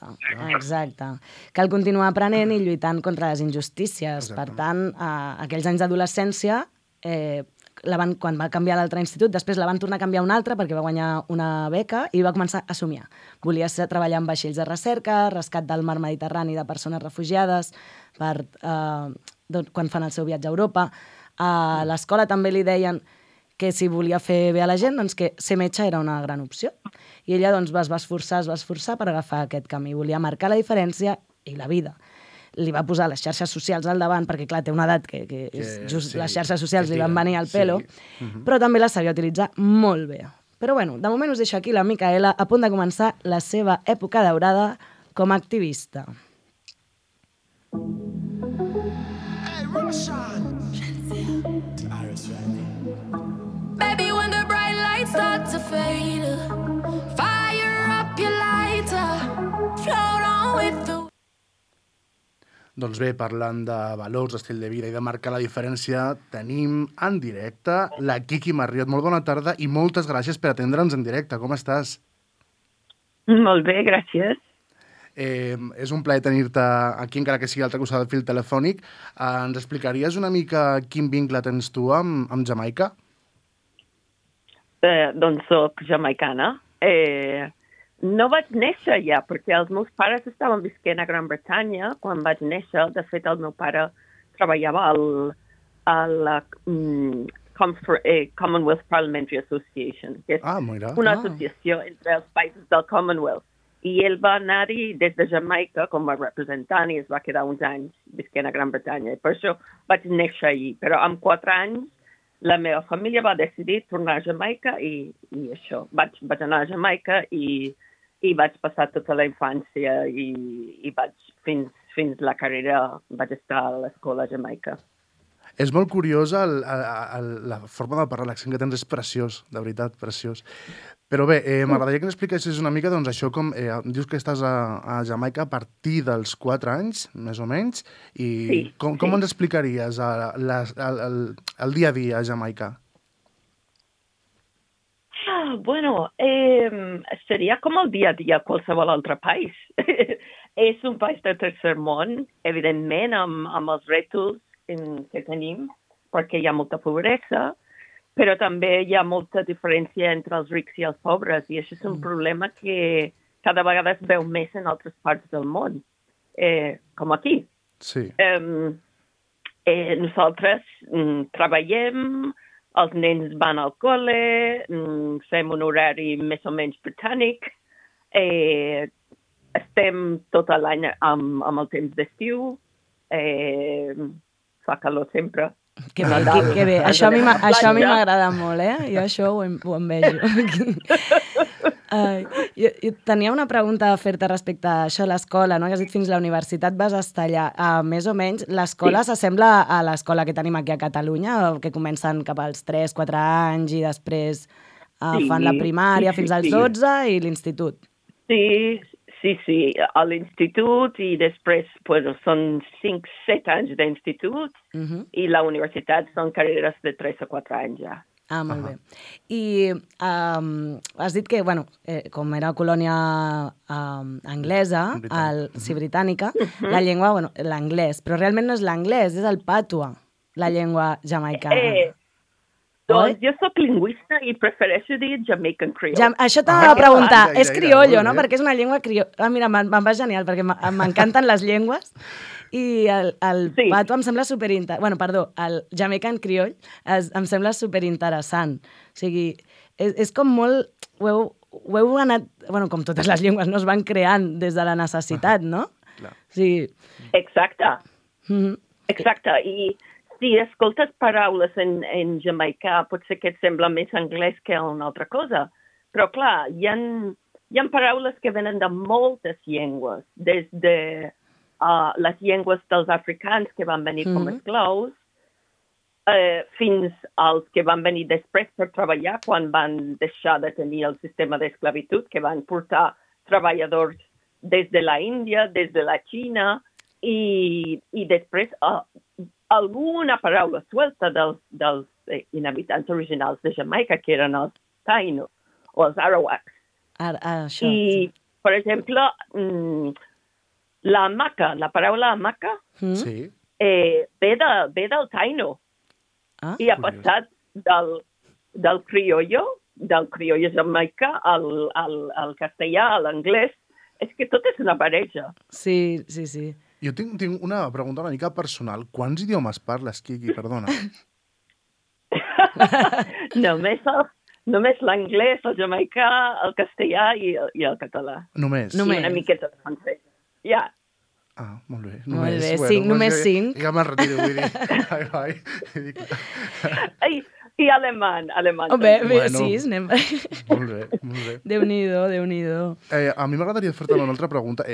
Exacte. Cal continuar aprenent i lluitant contra les injustícies. Per tant, aquells anys d'adolescència, quan va canviar l'altre institut, després la van tornar a canviar un altre perquè va guanyar una beca i va començar a somiar. Volia treballar en vaixells de recerca, rescat del mar Mediterrani de persones refugiades, quan fan el seu viatge a Europa. A l'escola també li deien que si volia fer bé a la gent, doncs que ser metge era una gran opció. I ella doncs, es va esforçar per agafar aquest camí. Volia marcar la diferència i la vida. Li va posar les xarxes socials al davant, perquè clar, té una edat que les xarxes socials li van venir al pelo, però també les sabia utilitzar molt bé. Però bueno, de moment us deixo aquí la Micaela a punt de començar la seva època daurada com a activista. start to fade. Fire up your lighter, float on with the... Doncs bé, parlant de valors, d'estil de vida i de marcar la diferència, tenim en directe la Quiqui Marriott. Molt bona tarda i moltes gràcies per atendre'ns en directe. Com estàs? Molt bé, gràcies. És un plaer tenir-te aquí, encara que sigui a l'altre costat del fil telefònic. Ens explicaries una mica quin vincle tens tu amb Jamaica? Doncs soc jamaicana. No vaig néixer ja, perquè els meus pares estaven visquent a Gran Bretanya quan vaig néixer. De fet, el meu pare treballava a la Commonwealth Parliamentary Association, que és una associació entre els països del Commonwealth. I ell va anar-hi des de Jamaica com a representant i es va quedar uns anys visquent a Gran Bretanya. I per això vaig néixer allí. Però amb 4 anys la meva família va decidir tornar a Jamaica i això. Vaig anar a Jamaica i vaig passar tota la infància i vaig fins la carrera vaig estar a l'escola a Jamaica. És molt curiosa la forma de parlar, l'accent que tens és preciós, de veritat, preciós. Però bé, m'agradaria que ens expliquessis una mica, doncs això, com dius que estàs a Jamaica a partir dels 4 anys, més o menys, i com ens explicaries el dia a dia a Jamaica? Bueno, seria com el dia a dia a qualsevol altre país. És un país del tercer món, evidentment, amb els rètols que tenim, perquè hi ha molta pobresa, però també hi ha molta diferència entre els rics i els pobres, i això és un problema que cada vegada es veu més en altres parts del món, com aquí. Sí. Nosaltres treballem, els nens van al col·le, fem un horari més o menys britànic, estem tot l'any amb el temps d'estiu, fa calor sempre. Que bé. Això a mi m'agrada molt, Jo això ho envejo. Jo tenia una pregunta a fer-te respecte a això, a l'escola, no? Que has dit fins a la universitat vas estar allà. Més o menys, l'escola s'assembla a l'escola que tenim aquí a Catalunya, que comencen cap als 3-4 anys i després fan la primària fins als 12 i l'institut. Sí, a l'institut i després són 5-7 anys d'institut i la universitat són carreres de 3 o 4 anys ja. Molt bé. I has dit que, com era colònia anglesa, britànica, la llengua, l'anglès, però realment no és l'anglès, és el patua, la llengua jamaicana. Doncs jo soc lingüista i prefereixo dir Jamaican Creole. Això t'anava a preguntar. És criollo, no? Perquè és una llengua criolla. Mira, me'n va genial, perquè m'encanten les llengües i el pato em sembla superinteressant. El Jamaican Creole em sembla superinteressant. O sigui, és com molt... Ho heu anat... Com totes les llengües no es van creant des de la necessitat, no? Sí. Exacte. Exacte. I si escoltes paraules en jamaicà, potser que et sembla més anglès que una altra cosa. Però, clar, hi ha paraules que venen de moltes llengües, des de les llengües dels africans que van venir com esclaus, fins als que van venir després per treballar quan van deixar de tenir el sistema d'esclavitud, que van portar treballadors des de la Índia, des de la Xina, i després alguna paraula suelta dels inhabitants originals de Jamaica, que eren els Taino o els Arawaks. I, per exemple, la hamaca, la paraula hamaca, ve del Taino. I ha passat del criollo jamaicà al castellà, a l'anglès. És que tot és una barreja. Sí. Jo tinc una pregunta una mica personal. Quants idiomes parles, Quiqui? Perdona. Només l'anglès, el jamaicà, el castellà i el català. Només? I una miqueta de francès. Ja. Molt bé. Només 5. Ja me'n retiro, vull dir. I alemany Oh, bé, també. Bueno. sí, anem... Molt bé, molt bé. Déu-n'hi-do, Déu-n'hi-do. A mi m'agradaria fer-te una altra pregunta.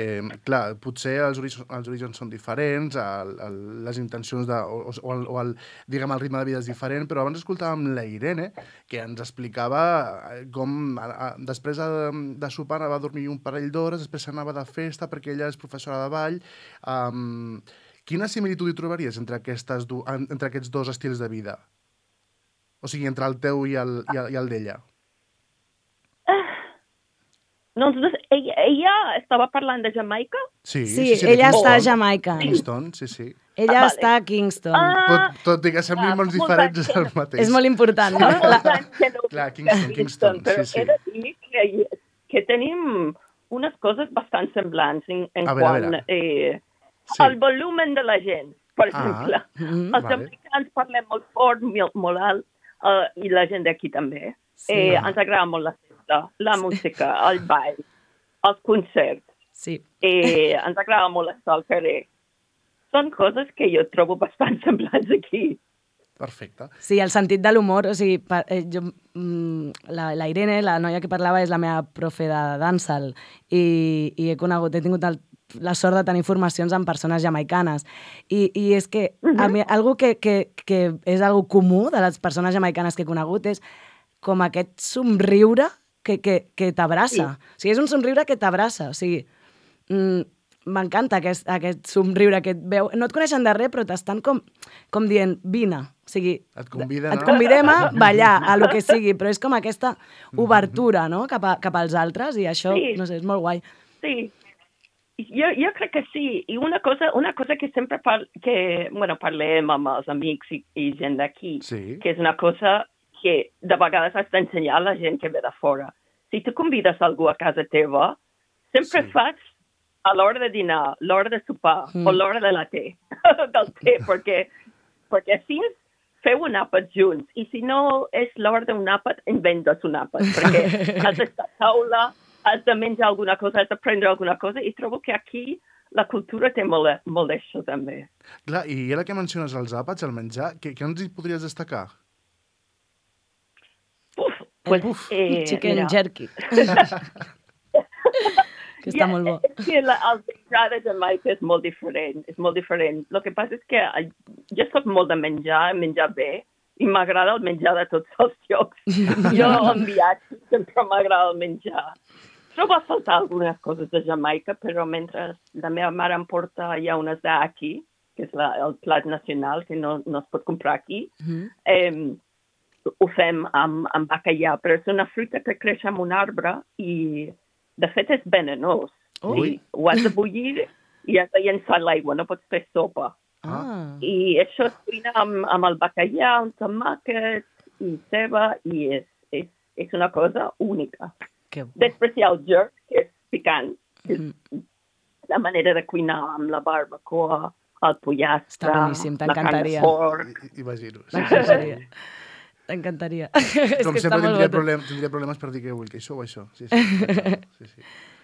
Clar, potser els orígens són diferents, les intencions diguem, el ritme de vida és diferent, però abans escoltàvem la Irene, que ens explicava com després de sopar anava a dormir un parell d'hores, després anava de festa perquè ella és professora de ball. Quina similitud hi trobaries entre aquests dos estils de vida? O sigui, entre el teu i el d'ella. Doncs ella estava parlant de Jamaica? Sí, ella està a Jamaica. Kingston, sí. Ella està a Kingston. Tot i que semblin molts diferents, és el mateix. És molt important, no? Clar, Kingston, però sí. He de dir que tenim unes coses bastant semblants en quant al volumen de la gent, per exemple. Els americans parlem molt fort, molt alt, i la gent d'aquí també. Ens agrada molt la festa, la música, el ball, els concerts. Sí. Ens agrada molt estar al carrer. Són coses que jo trobo bastant semblants aquí. Perfecte. Sí, el sentit de l'humor, o sigui, la Irene, la noia que parlava, és la meva profe de dancehall i he tingut la sort de tenir formacions amb persones jamaicanes. I és que a mi, algo que és algo comú de les persones jamaicanes que he conegut és com aquest somriure que t'abraça. Sí. O sigui, és un somriure que t'abraça. O sigui, m'encanta aquest somriure que et veu. No et coneixen de res, però t'estan com dient, vine. O sigui, et convidem a ballar, a lo que sigui, però és com aquesta obertura, no?, cap als altres, i això, no sé, és molt guai. Sí. Jo crec que sí. I una cosa que sempre parlem amb els amics i gent d'aquí, que és una cosa que de vegades has d'ensenyar a la gent que ve de fora. Si tu convides algú a casa teva, sempre fas a l'hora de dinar, l'hora de sopar o l'hora de la del té, perquè així feu un àpat junts. I si no és l'hora d'un àpat, inventes un àpat, perquè has d'estar a taula, has de menjar alguna cosa, has de prendre alguna cosa, i trobo que aquí la cultura té molt d'això també. Clar, i ara que menciones els àpats, el menjar, què ens hi podries destacar? Chicken jerky. Que està molt bo. És que el menjar de Jamaica és molt diferent, El que passa és que jo soc molt de menjar bé, i m'agrada el menjar de tots els llocs. Jo en viatge sempre m'agrada el menjar. Trobo a faltar algunes coses de Jamaica, però mentre la meva mare em porta ja unes d'aquí, que és el plat nacional, que no es pot comprar aquí, ho fem amb bacallà, però és una fruita que creix en un arbre i, de fet, és venenós. Ho has de bullir i has de llençar l'aigua, no pots fer sopa. I això es cuina amb el bacallà, un tomàquet i ceba, i és una cosa única. Després hi ha el jerk, que és picant, que és la manera de cuinar amb la barbacoa, el pollastre, la carn de porc. Imagino. T'encantaria. Com sempre tindria problemes per dir que vull, que això o això. Sí.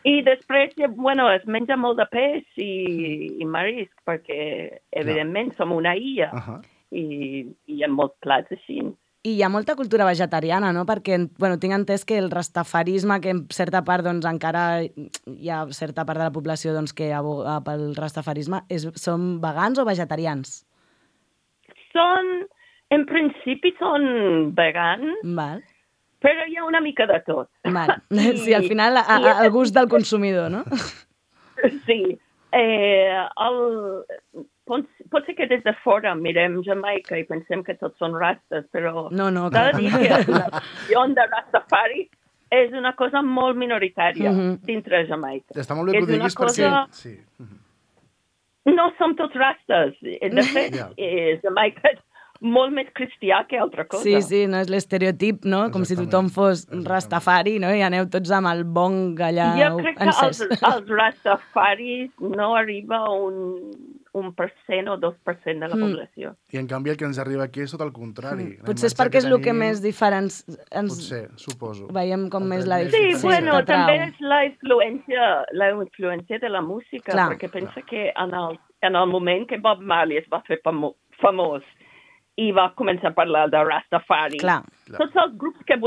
I després, es menja molt de peix i marisc, perquè, evidentment, som una illa i hi ha molts plats així. I hi ha molta cultura vegetariana, no? Perquè, tinc entès que el rastafarisme, que en certa part, encara hi ha certa part de la població que aboga pel rastafarisme, són vegans o vegetarians? En principi són vegans, però hi ha una mica de tot. Sí, al final, al gust del consumidor, no? Sí. Pot ser que des de fora mirem Jamaica i pensem que tots són rastes, però s'ha de dir que la visió de Rastafari és una cosa molt minoritària dintre Jamaica. Està molt bé que ho diguis perquè... No som tots rastes. De fet, Jamaica és molt més cristià que altra cosa. Sí, no és l'estereotip, no? Com si tothom fos Rastafari, no? I aneu tots amb el bong allà encès. Jo crec que els Rastafaris no arriba a un 1% o 2% de la població. I en canvi el que ens arriba aquí és tot el contrari. Potser és perquè és el que més diferents... Potser, suposo. Veiem com més la diferència. Sí, també és la influència de la música, perquè pensa que en el moment que Bob Marley es va fer famós i va començar a parlar de Rastafari. Clar. Tots els grups que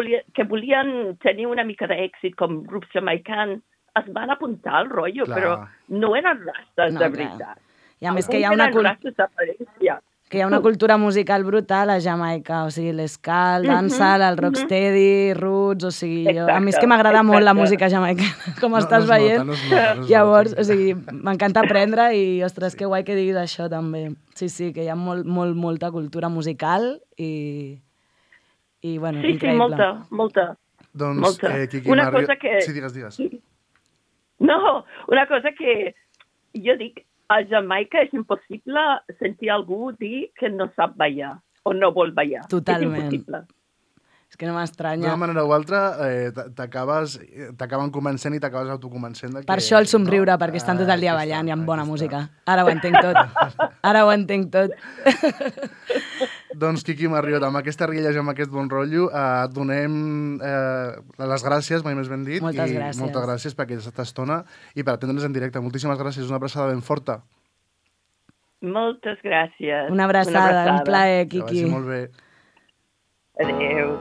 volien tenir una mica d'èxit, com grups jamaicans, es van apuntar al rotllo, Clar. però no eren rastes No, de clar. veritat. I a més que hi ha Alguns una eren rastes d'aparència. que hi ha una cultura musical brutal a Jamaica, o sigui, l'esca, el dancehall, el rocksteady, roots, o sigui, a mi és que m'agrada molt la música jamaicana, com estàs veient. No es nota. Llavors, o sigui, m'encanta aprendre i, ostres, que guai que diguis això també. Sí, que hi ha molta cultura musical i bueno, Sí, increïble. molta. Doncs, Molta. Quiqui, Una cosa que... Sí, digues. No, una cosa que jo dic, a Jamaica és impossible sentir algú dir que no sap ballar o no vol ballar. Totalment. És impossible. És que no m'estranya. D'una manera o altra, t'acaben convencent i t'acabes autoconvencent. Per això el somriure, perquè estan tot el dia ballant i amb bona música. Ara ho entenc tot. Doncs, Quiqui Marriott, amb aquesta rialla i amb aquest bon rotllo, et donem les gràcies, mai més ben dit. Moltes gràcies. Moltes gràcies per aquesta estona i per atendre'ns en directe. Moltíssimes gràcies, una abraçada ben forta. Moltes gràcies. Una abraçada, un plaer, Que Quiqui. vagi molt bé. Adéu.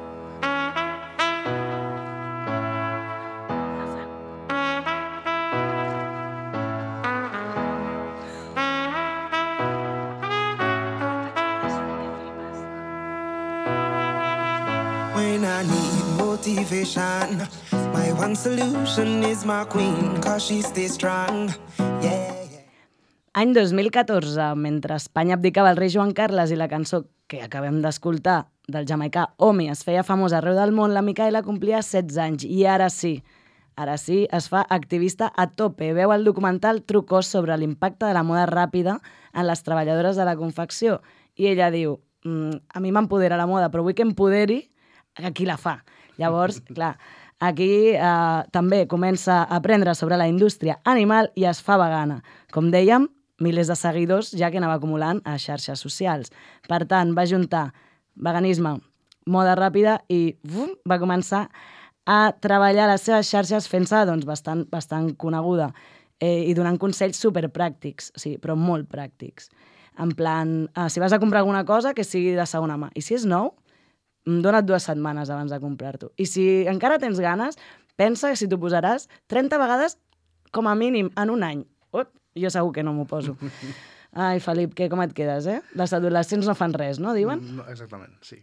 When I need motivation, my one solution is my queen, cause she stays strong. Yeah. Any 2014, mentre Espanya abdicava el rei Joan Carles i la cançó que acabem d'escoltar del jamaicà Omi es feia famosa arreu del món, la Micaela complia 16 anys i ara sí, es fa activista a tope. Veu el documental True Cost sobre l'impacte de la moda ràpida en les treballadores de la confecció i ella diu, a mi m'empodera la moda, però vull que empoderi a qui la fa. Llavors, clar, aquí també comença a aprendre sobre la indústria animal i es fa vegana. Com dèiem, milers de seguidors ja que anava acumulant a xarxes socials. Per tant, va juntar veganisme, moda ràpida i va començar a treballar les seves xarxes fent-se doncs, bastant coneguda i donant consells superpràctics, sí, però molt pràctics. En plan, si vas a comprar alguna cosa, que sigui de segona mà. I si és nou, dona't 2 setmanes abans de comprar-t'ho. I si encara tens ganes, pensa que si t'ho posaràs 30 vegades com a mínim en un any. Jo segur que no m'ho poso. Ai, Felip, com et quedes, eh? Les adolescents no fan res, no, diuen? No, exactament, sí.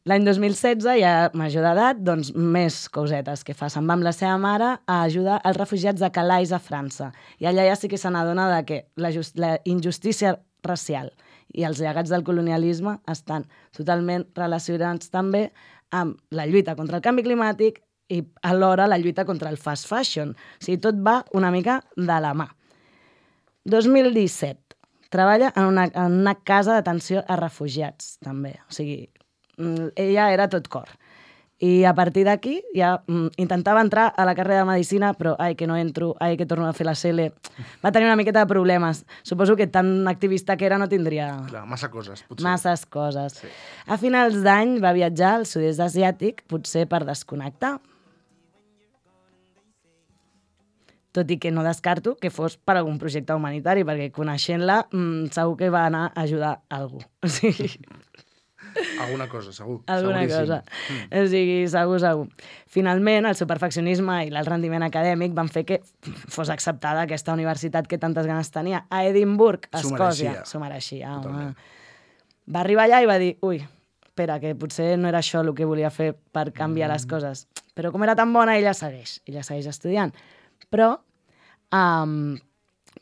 L'any 2016, ja major d'edat, doncs més cosetes que fa. Se'n va amb la seva mare a ajudar els refugiats de Calais a França. I allà ja sí que se n'adona de que la injustícia racial i els llegats del colonialisme estan totalment relacionats també amb la lluita contra el canvi climàtic i alhora la lluita contra el fast fashion. O sigui, tot va una mica de la mà. 2017. Treballa en una casa d'atenció a refugiats, també. O sigui, ella era tot cor. I a partir d'aquí ja intentava entrar a la carrera de Medicina, però ai, que no entro, ai, que torno a fer la CL. Va tenir una miqueta de problemes. Suposo que tan activista que era no tindria... Clar, massa coses, potser. Masses coses. Sí. A finals d'any va viatjar al sud-est asiàtic, potser per desconnectar. Tot i que no descarto que fos per algun projecte humanitari, perquè coneixent-la segur que va anar a ajudar a algú. O sigui... Alguna cosa, segur. Alguna cosa. O sigui, segur. Finalment, el seu perfeccionisme i l'alt rendiment acadèmic van fer que fos acceptada aquesta universitat que tantes ganes tenia. A Edimburg, a Escòcia. S'ho mereixia. Va arribar allà i va dir, ui, espera, que potser no era això el que volia fer per canviar les coses. Però com era tan bona, ella segueix estudiant. Però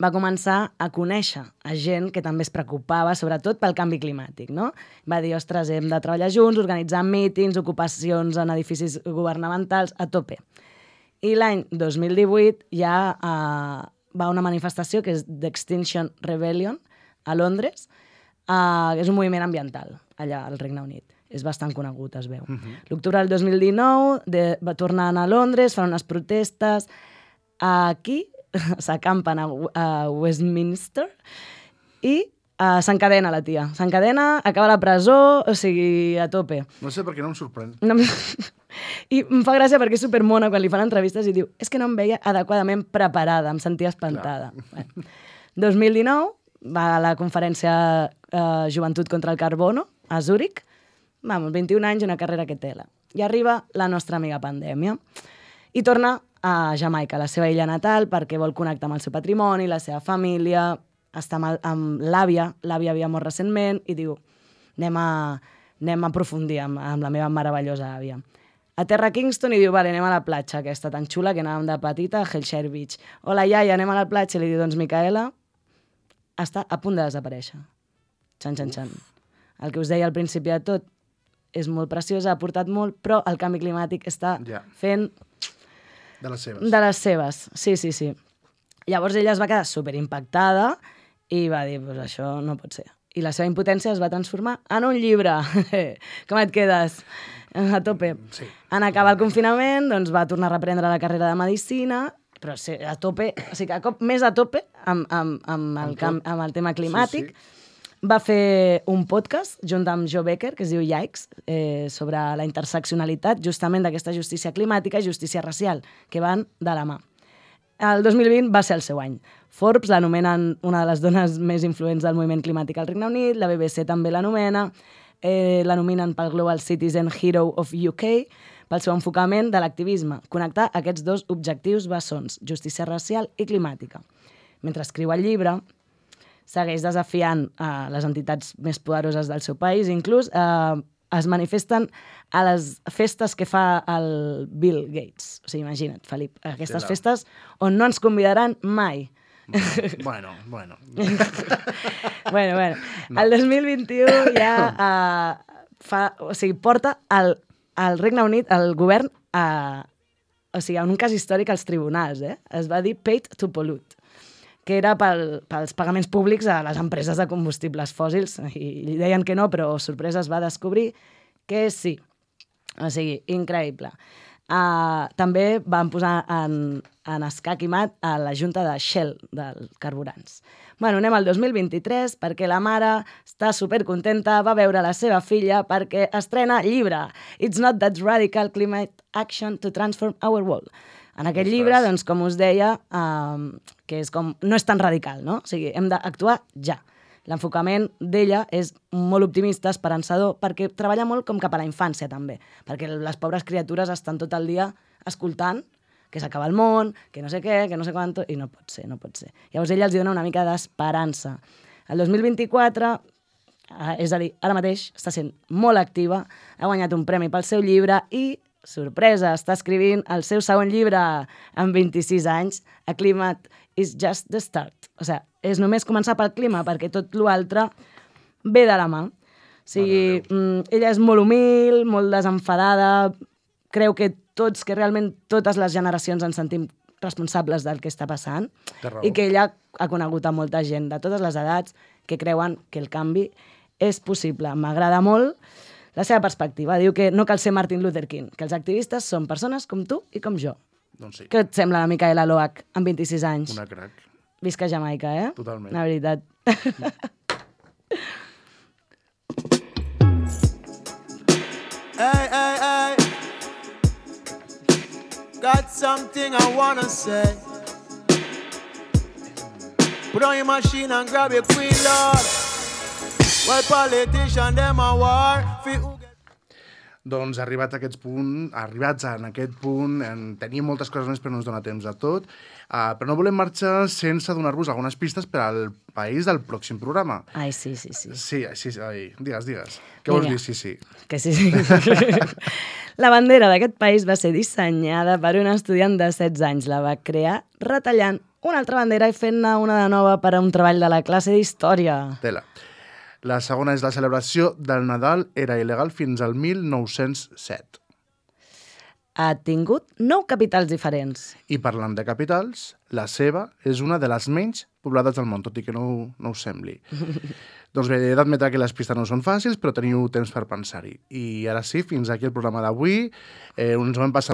va començar a conèixer a gent que també es preocupava, sobretot pel canvi climàtic, no? Va dir, ostres, hem de treballar junts, organitzar mítings, ocupacions en edificis governamentals, a tope. I l'any 2018 ja va a una manifestació que és d'Extinction Rebellion, a Londres, que és un moviment ambiental, allà al Regne Unit. És bastant conegut, es veu. L'octubre del 2019 va tornar a Londres, fan unes protestes. Aquí s'acampen a Westminster i s'encadena la tia. S'encadena, acaba a la presó, o sigui, a tope. No sé per què no em sorprèn. I em fa gràcia perquè és supermona quan li fan entrevistes i diu és que no em veia adequadament preparada, em sentia espantada. 2019 va a la conferència Joventut contra el Carbono, a Zúrich. Vamos, 21 anys i una carrera que tela. I arriba la nostra amiga pandèmia. I torna a Jamaica, la seva illa natal, perquè vol connectar amb el seu patrimoni, la seva família, està amb l'àvia havia mort recentment, i diu, anem a aprofundir amb la meva meravellosa àvia. Aterra a Kingston i diu, vale, anem a la platja aquesta tan xula que anàvem de petita a Hellshire Beach. Hola, iaia, anem a la platja. I li diu, doncs, Micaela, està a punt de desaparèixer. Xan, xan, xan. El que us deia al principi de tot és molt preciosa, ha portat molt, però el canvi climàtic està fent... De les seves. De les seves, sí. Llavors ella es va quedar superimpactada i va dir, pues això no pot ser. I la seva impotència es va transformar en un llibre. Com et quedes? A tope. Sí. En acabar el confinament, doncs va tornar a reprendre la carrera de Medicina, però sí, a tope, o sigui, més a tope amb el tema climàtic. Sí. Va fer un podcast junt amb Joe Becker, que es diu Yikes, sobre la interseccionalitat justament d'aquesta justícia climàtica i justícia racial, que van de la mà. El 2020 va ser el seu any. Forbes l'anomenen una de les dones més influents del moviment climàtic al Regne Unit, la BBC també l'anomena, l'anominen pel Global Citizen Hero of UK, pel seu enfocament de l'activisme, connectar aquests dos objectius bessons, justícia racial i climàtica. Mentre escriu el llibre, segueix desafiant les entitats més poderoses del seu país, inclús es manifesten a les festes que fa el Bill Gates. O sigui, imagina't, Felip, aquestes festes on no ens convidaran mai. Bueno. Bueno. El 2021 ja porta el Regne Unit, el govern, en un cas històric als tribunals. Es va dir Paid to Pollute, que era pels pagaments públics a les empreses de combustibles fòssils. I deien que no, però sorpresa es va descobrir que sí. O sigui, increïble. També van posar en escac i mat a la junta de Shell, dels carburants. Bueno, anem al 2023 perquè la mare està supercontenta, va veure la seva filla perquè estrena llibre. It's not that radical climate action to transform our world. En aquest llibre, doncs, com us deia, que és com, no és tan radical, no? O sigui, hem d'actuar ja. L'enfocament d'ella és molt optimista, esperançador, perquè treballa molt com cap a la infància, també. Perquè les pobres criatures estan tot el dia escoltant que s'acaba el món, que no sé què, que no sé quant, i no pot ser. Llavors ella els dona una mica d'esperança. El 2024, és a dir, ara mateix, està sent molt activa, ha guanyat un premi pel seu llibre i, sorpresa, està escrivint el seu segon llibre amb 26 anys, A Climate is just the start. O sigui, és només començar pel clima, perquè tot l'altre ve de la mà. O sigui, ella és molt humil, molt desenfadada, creu que realment totes les generacions ens sentim responsables del que està passant, i que ella ha conegut a molta gent de totes les edats que creuen que el canvi és possible. M'agrada molt la seva perspectiva. Diu que no cal ser Martin Luther King, que els activistes són persones com tu i com jo. Doncs sí. Què et sembla la Micaela Loach, amb 26 anys? Una crac. Visca Jamaica, Totalment. La veritat. Hey. Got something I wanna say. Put on your machine and grab your queen, Lord. Well, politician, them a war. Doncs arribats en aquest punt, tenim moltes coses més però no ens dona temps a tot, però no volem marxar sense donar-vos algunes pistes per al país del pròxim programa. Ai, sí. Sí, digues. Què vols dir, sí? Que sí. La bandera d'aquest país va ser dissenyada per un estudiant de 16 anys. La va crear retallant una altra bandera i fent-ne una de nova per a un treball de la classe d'història. Tela. La segona és la celebració del Nadal era il·legal fins al 1907. Ha tingut 9 capitals diferents. I parlant de capitals, la seva és una de les menys poblades del món, tot i que no us sembli. Doncs bé, he d'admetre que les pistes no són fàcils, però teniu temps per pensar-hi. I ara sí, fins aquí el programa d'avui. Ens ho hem passat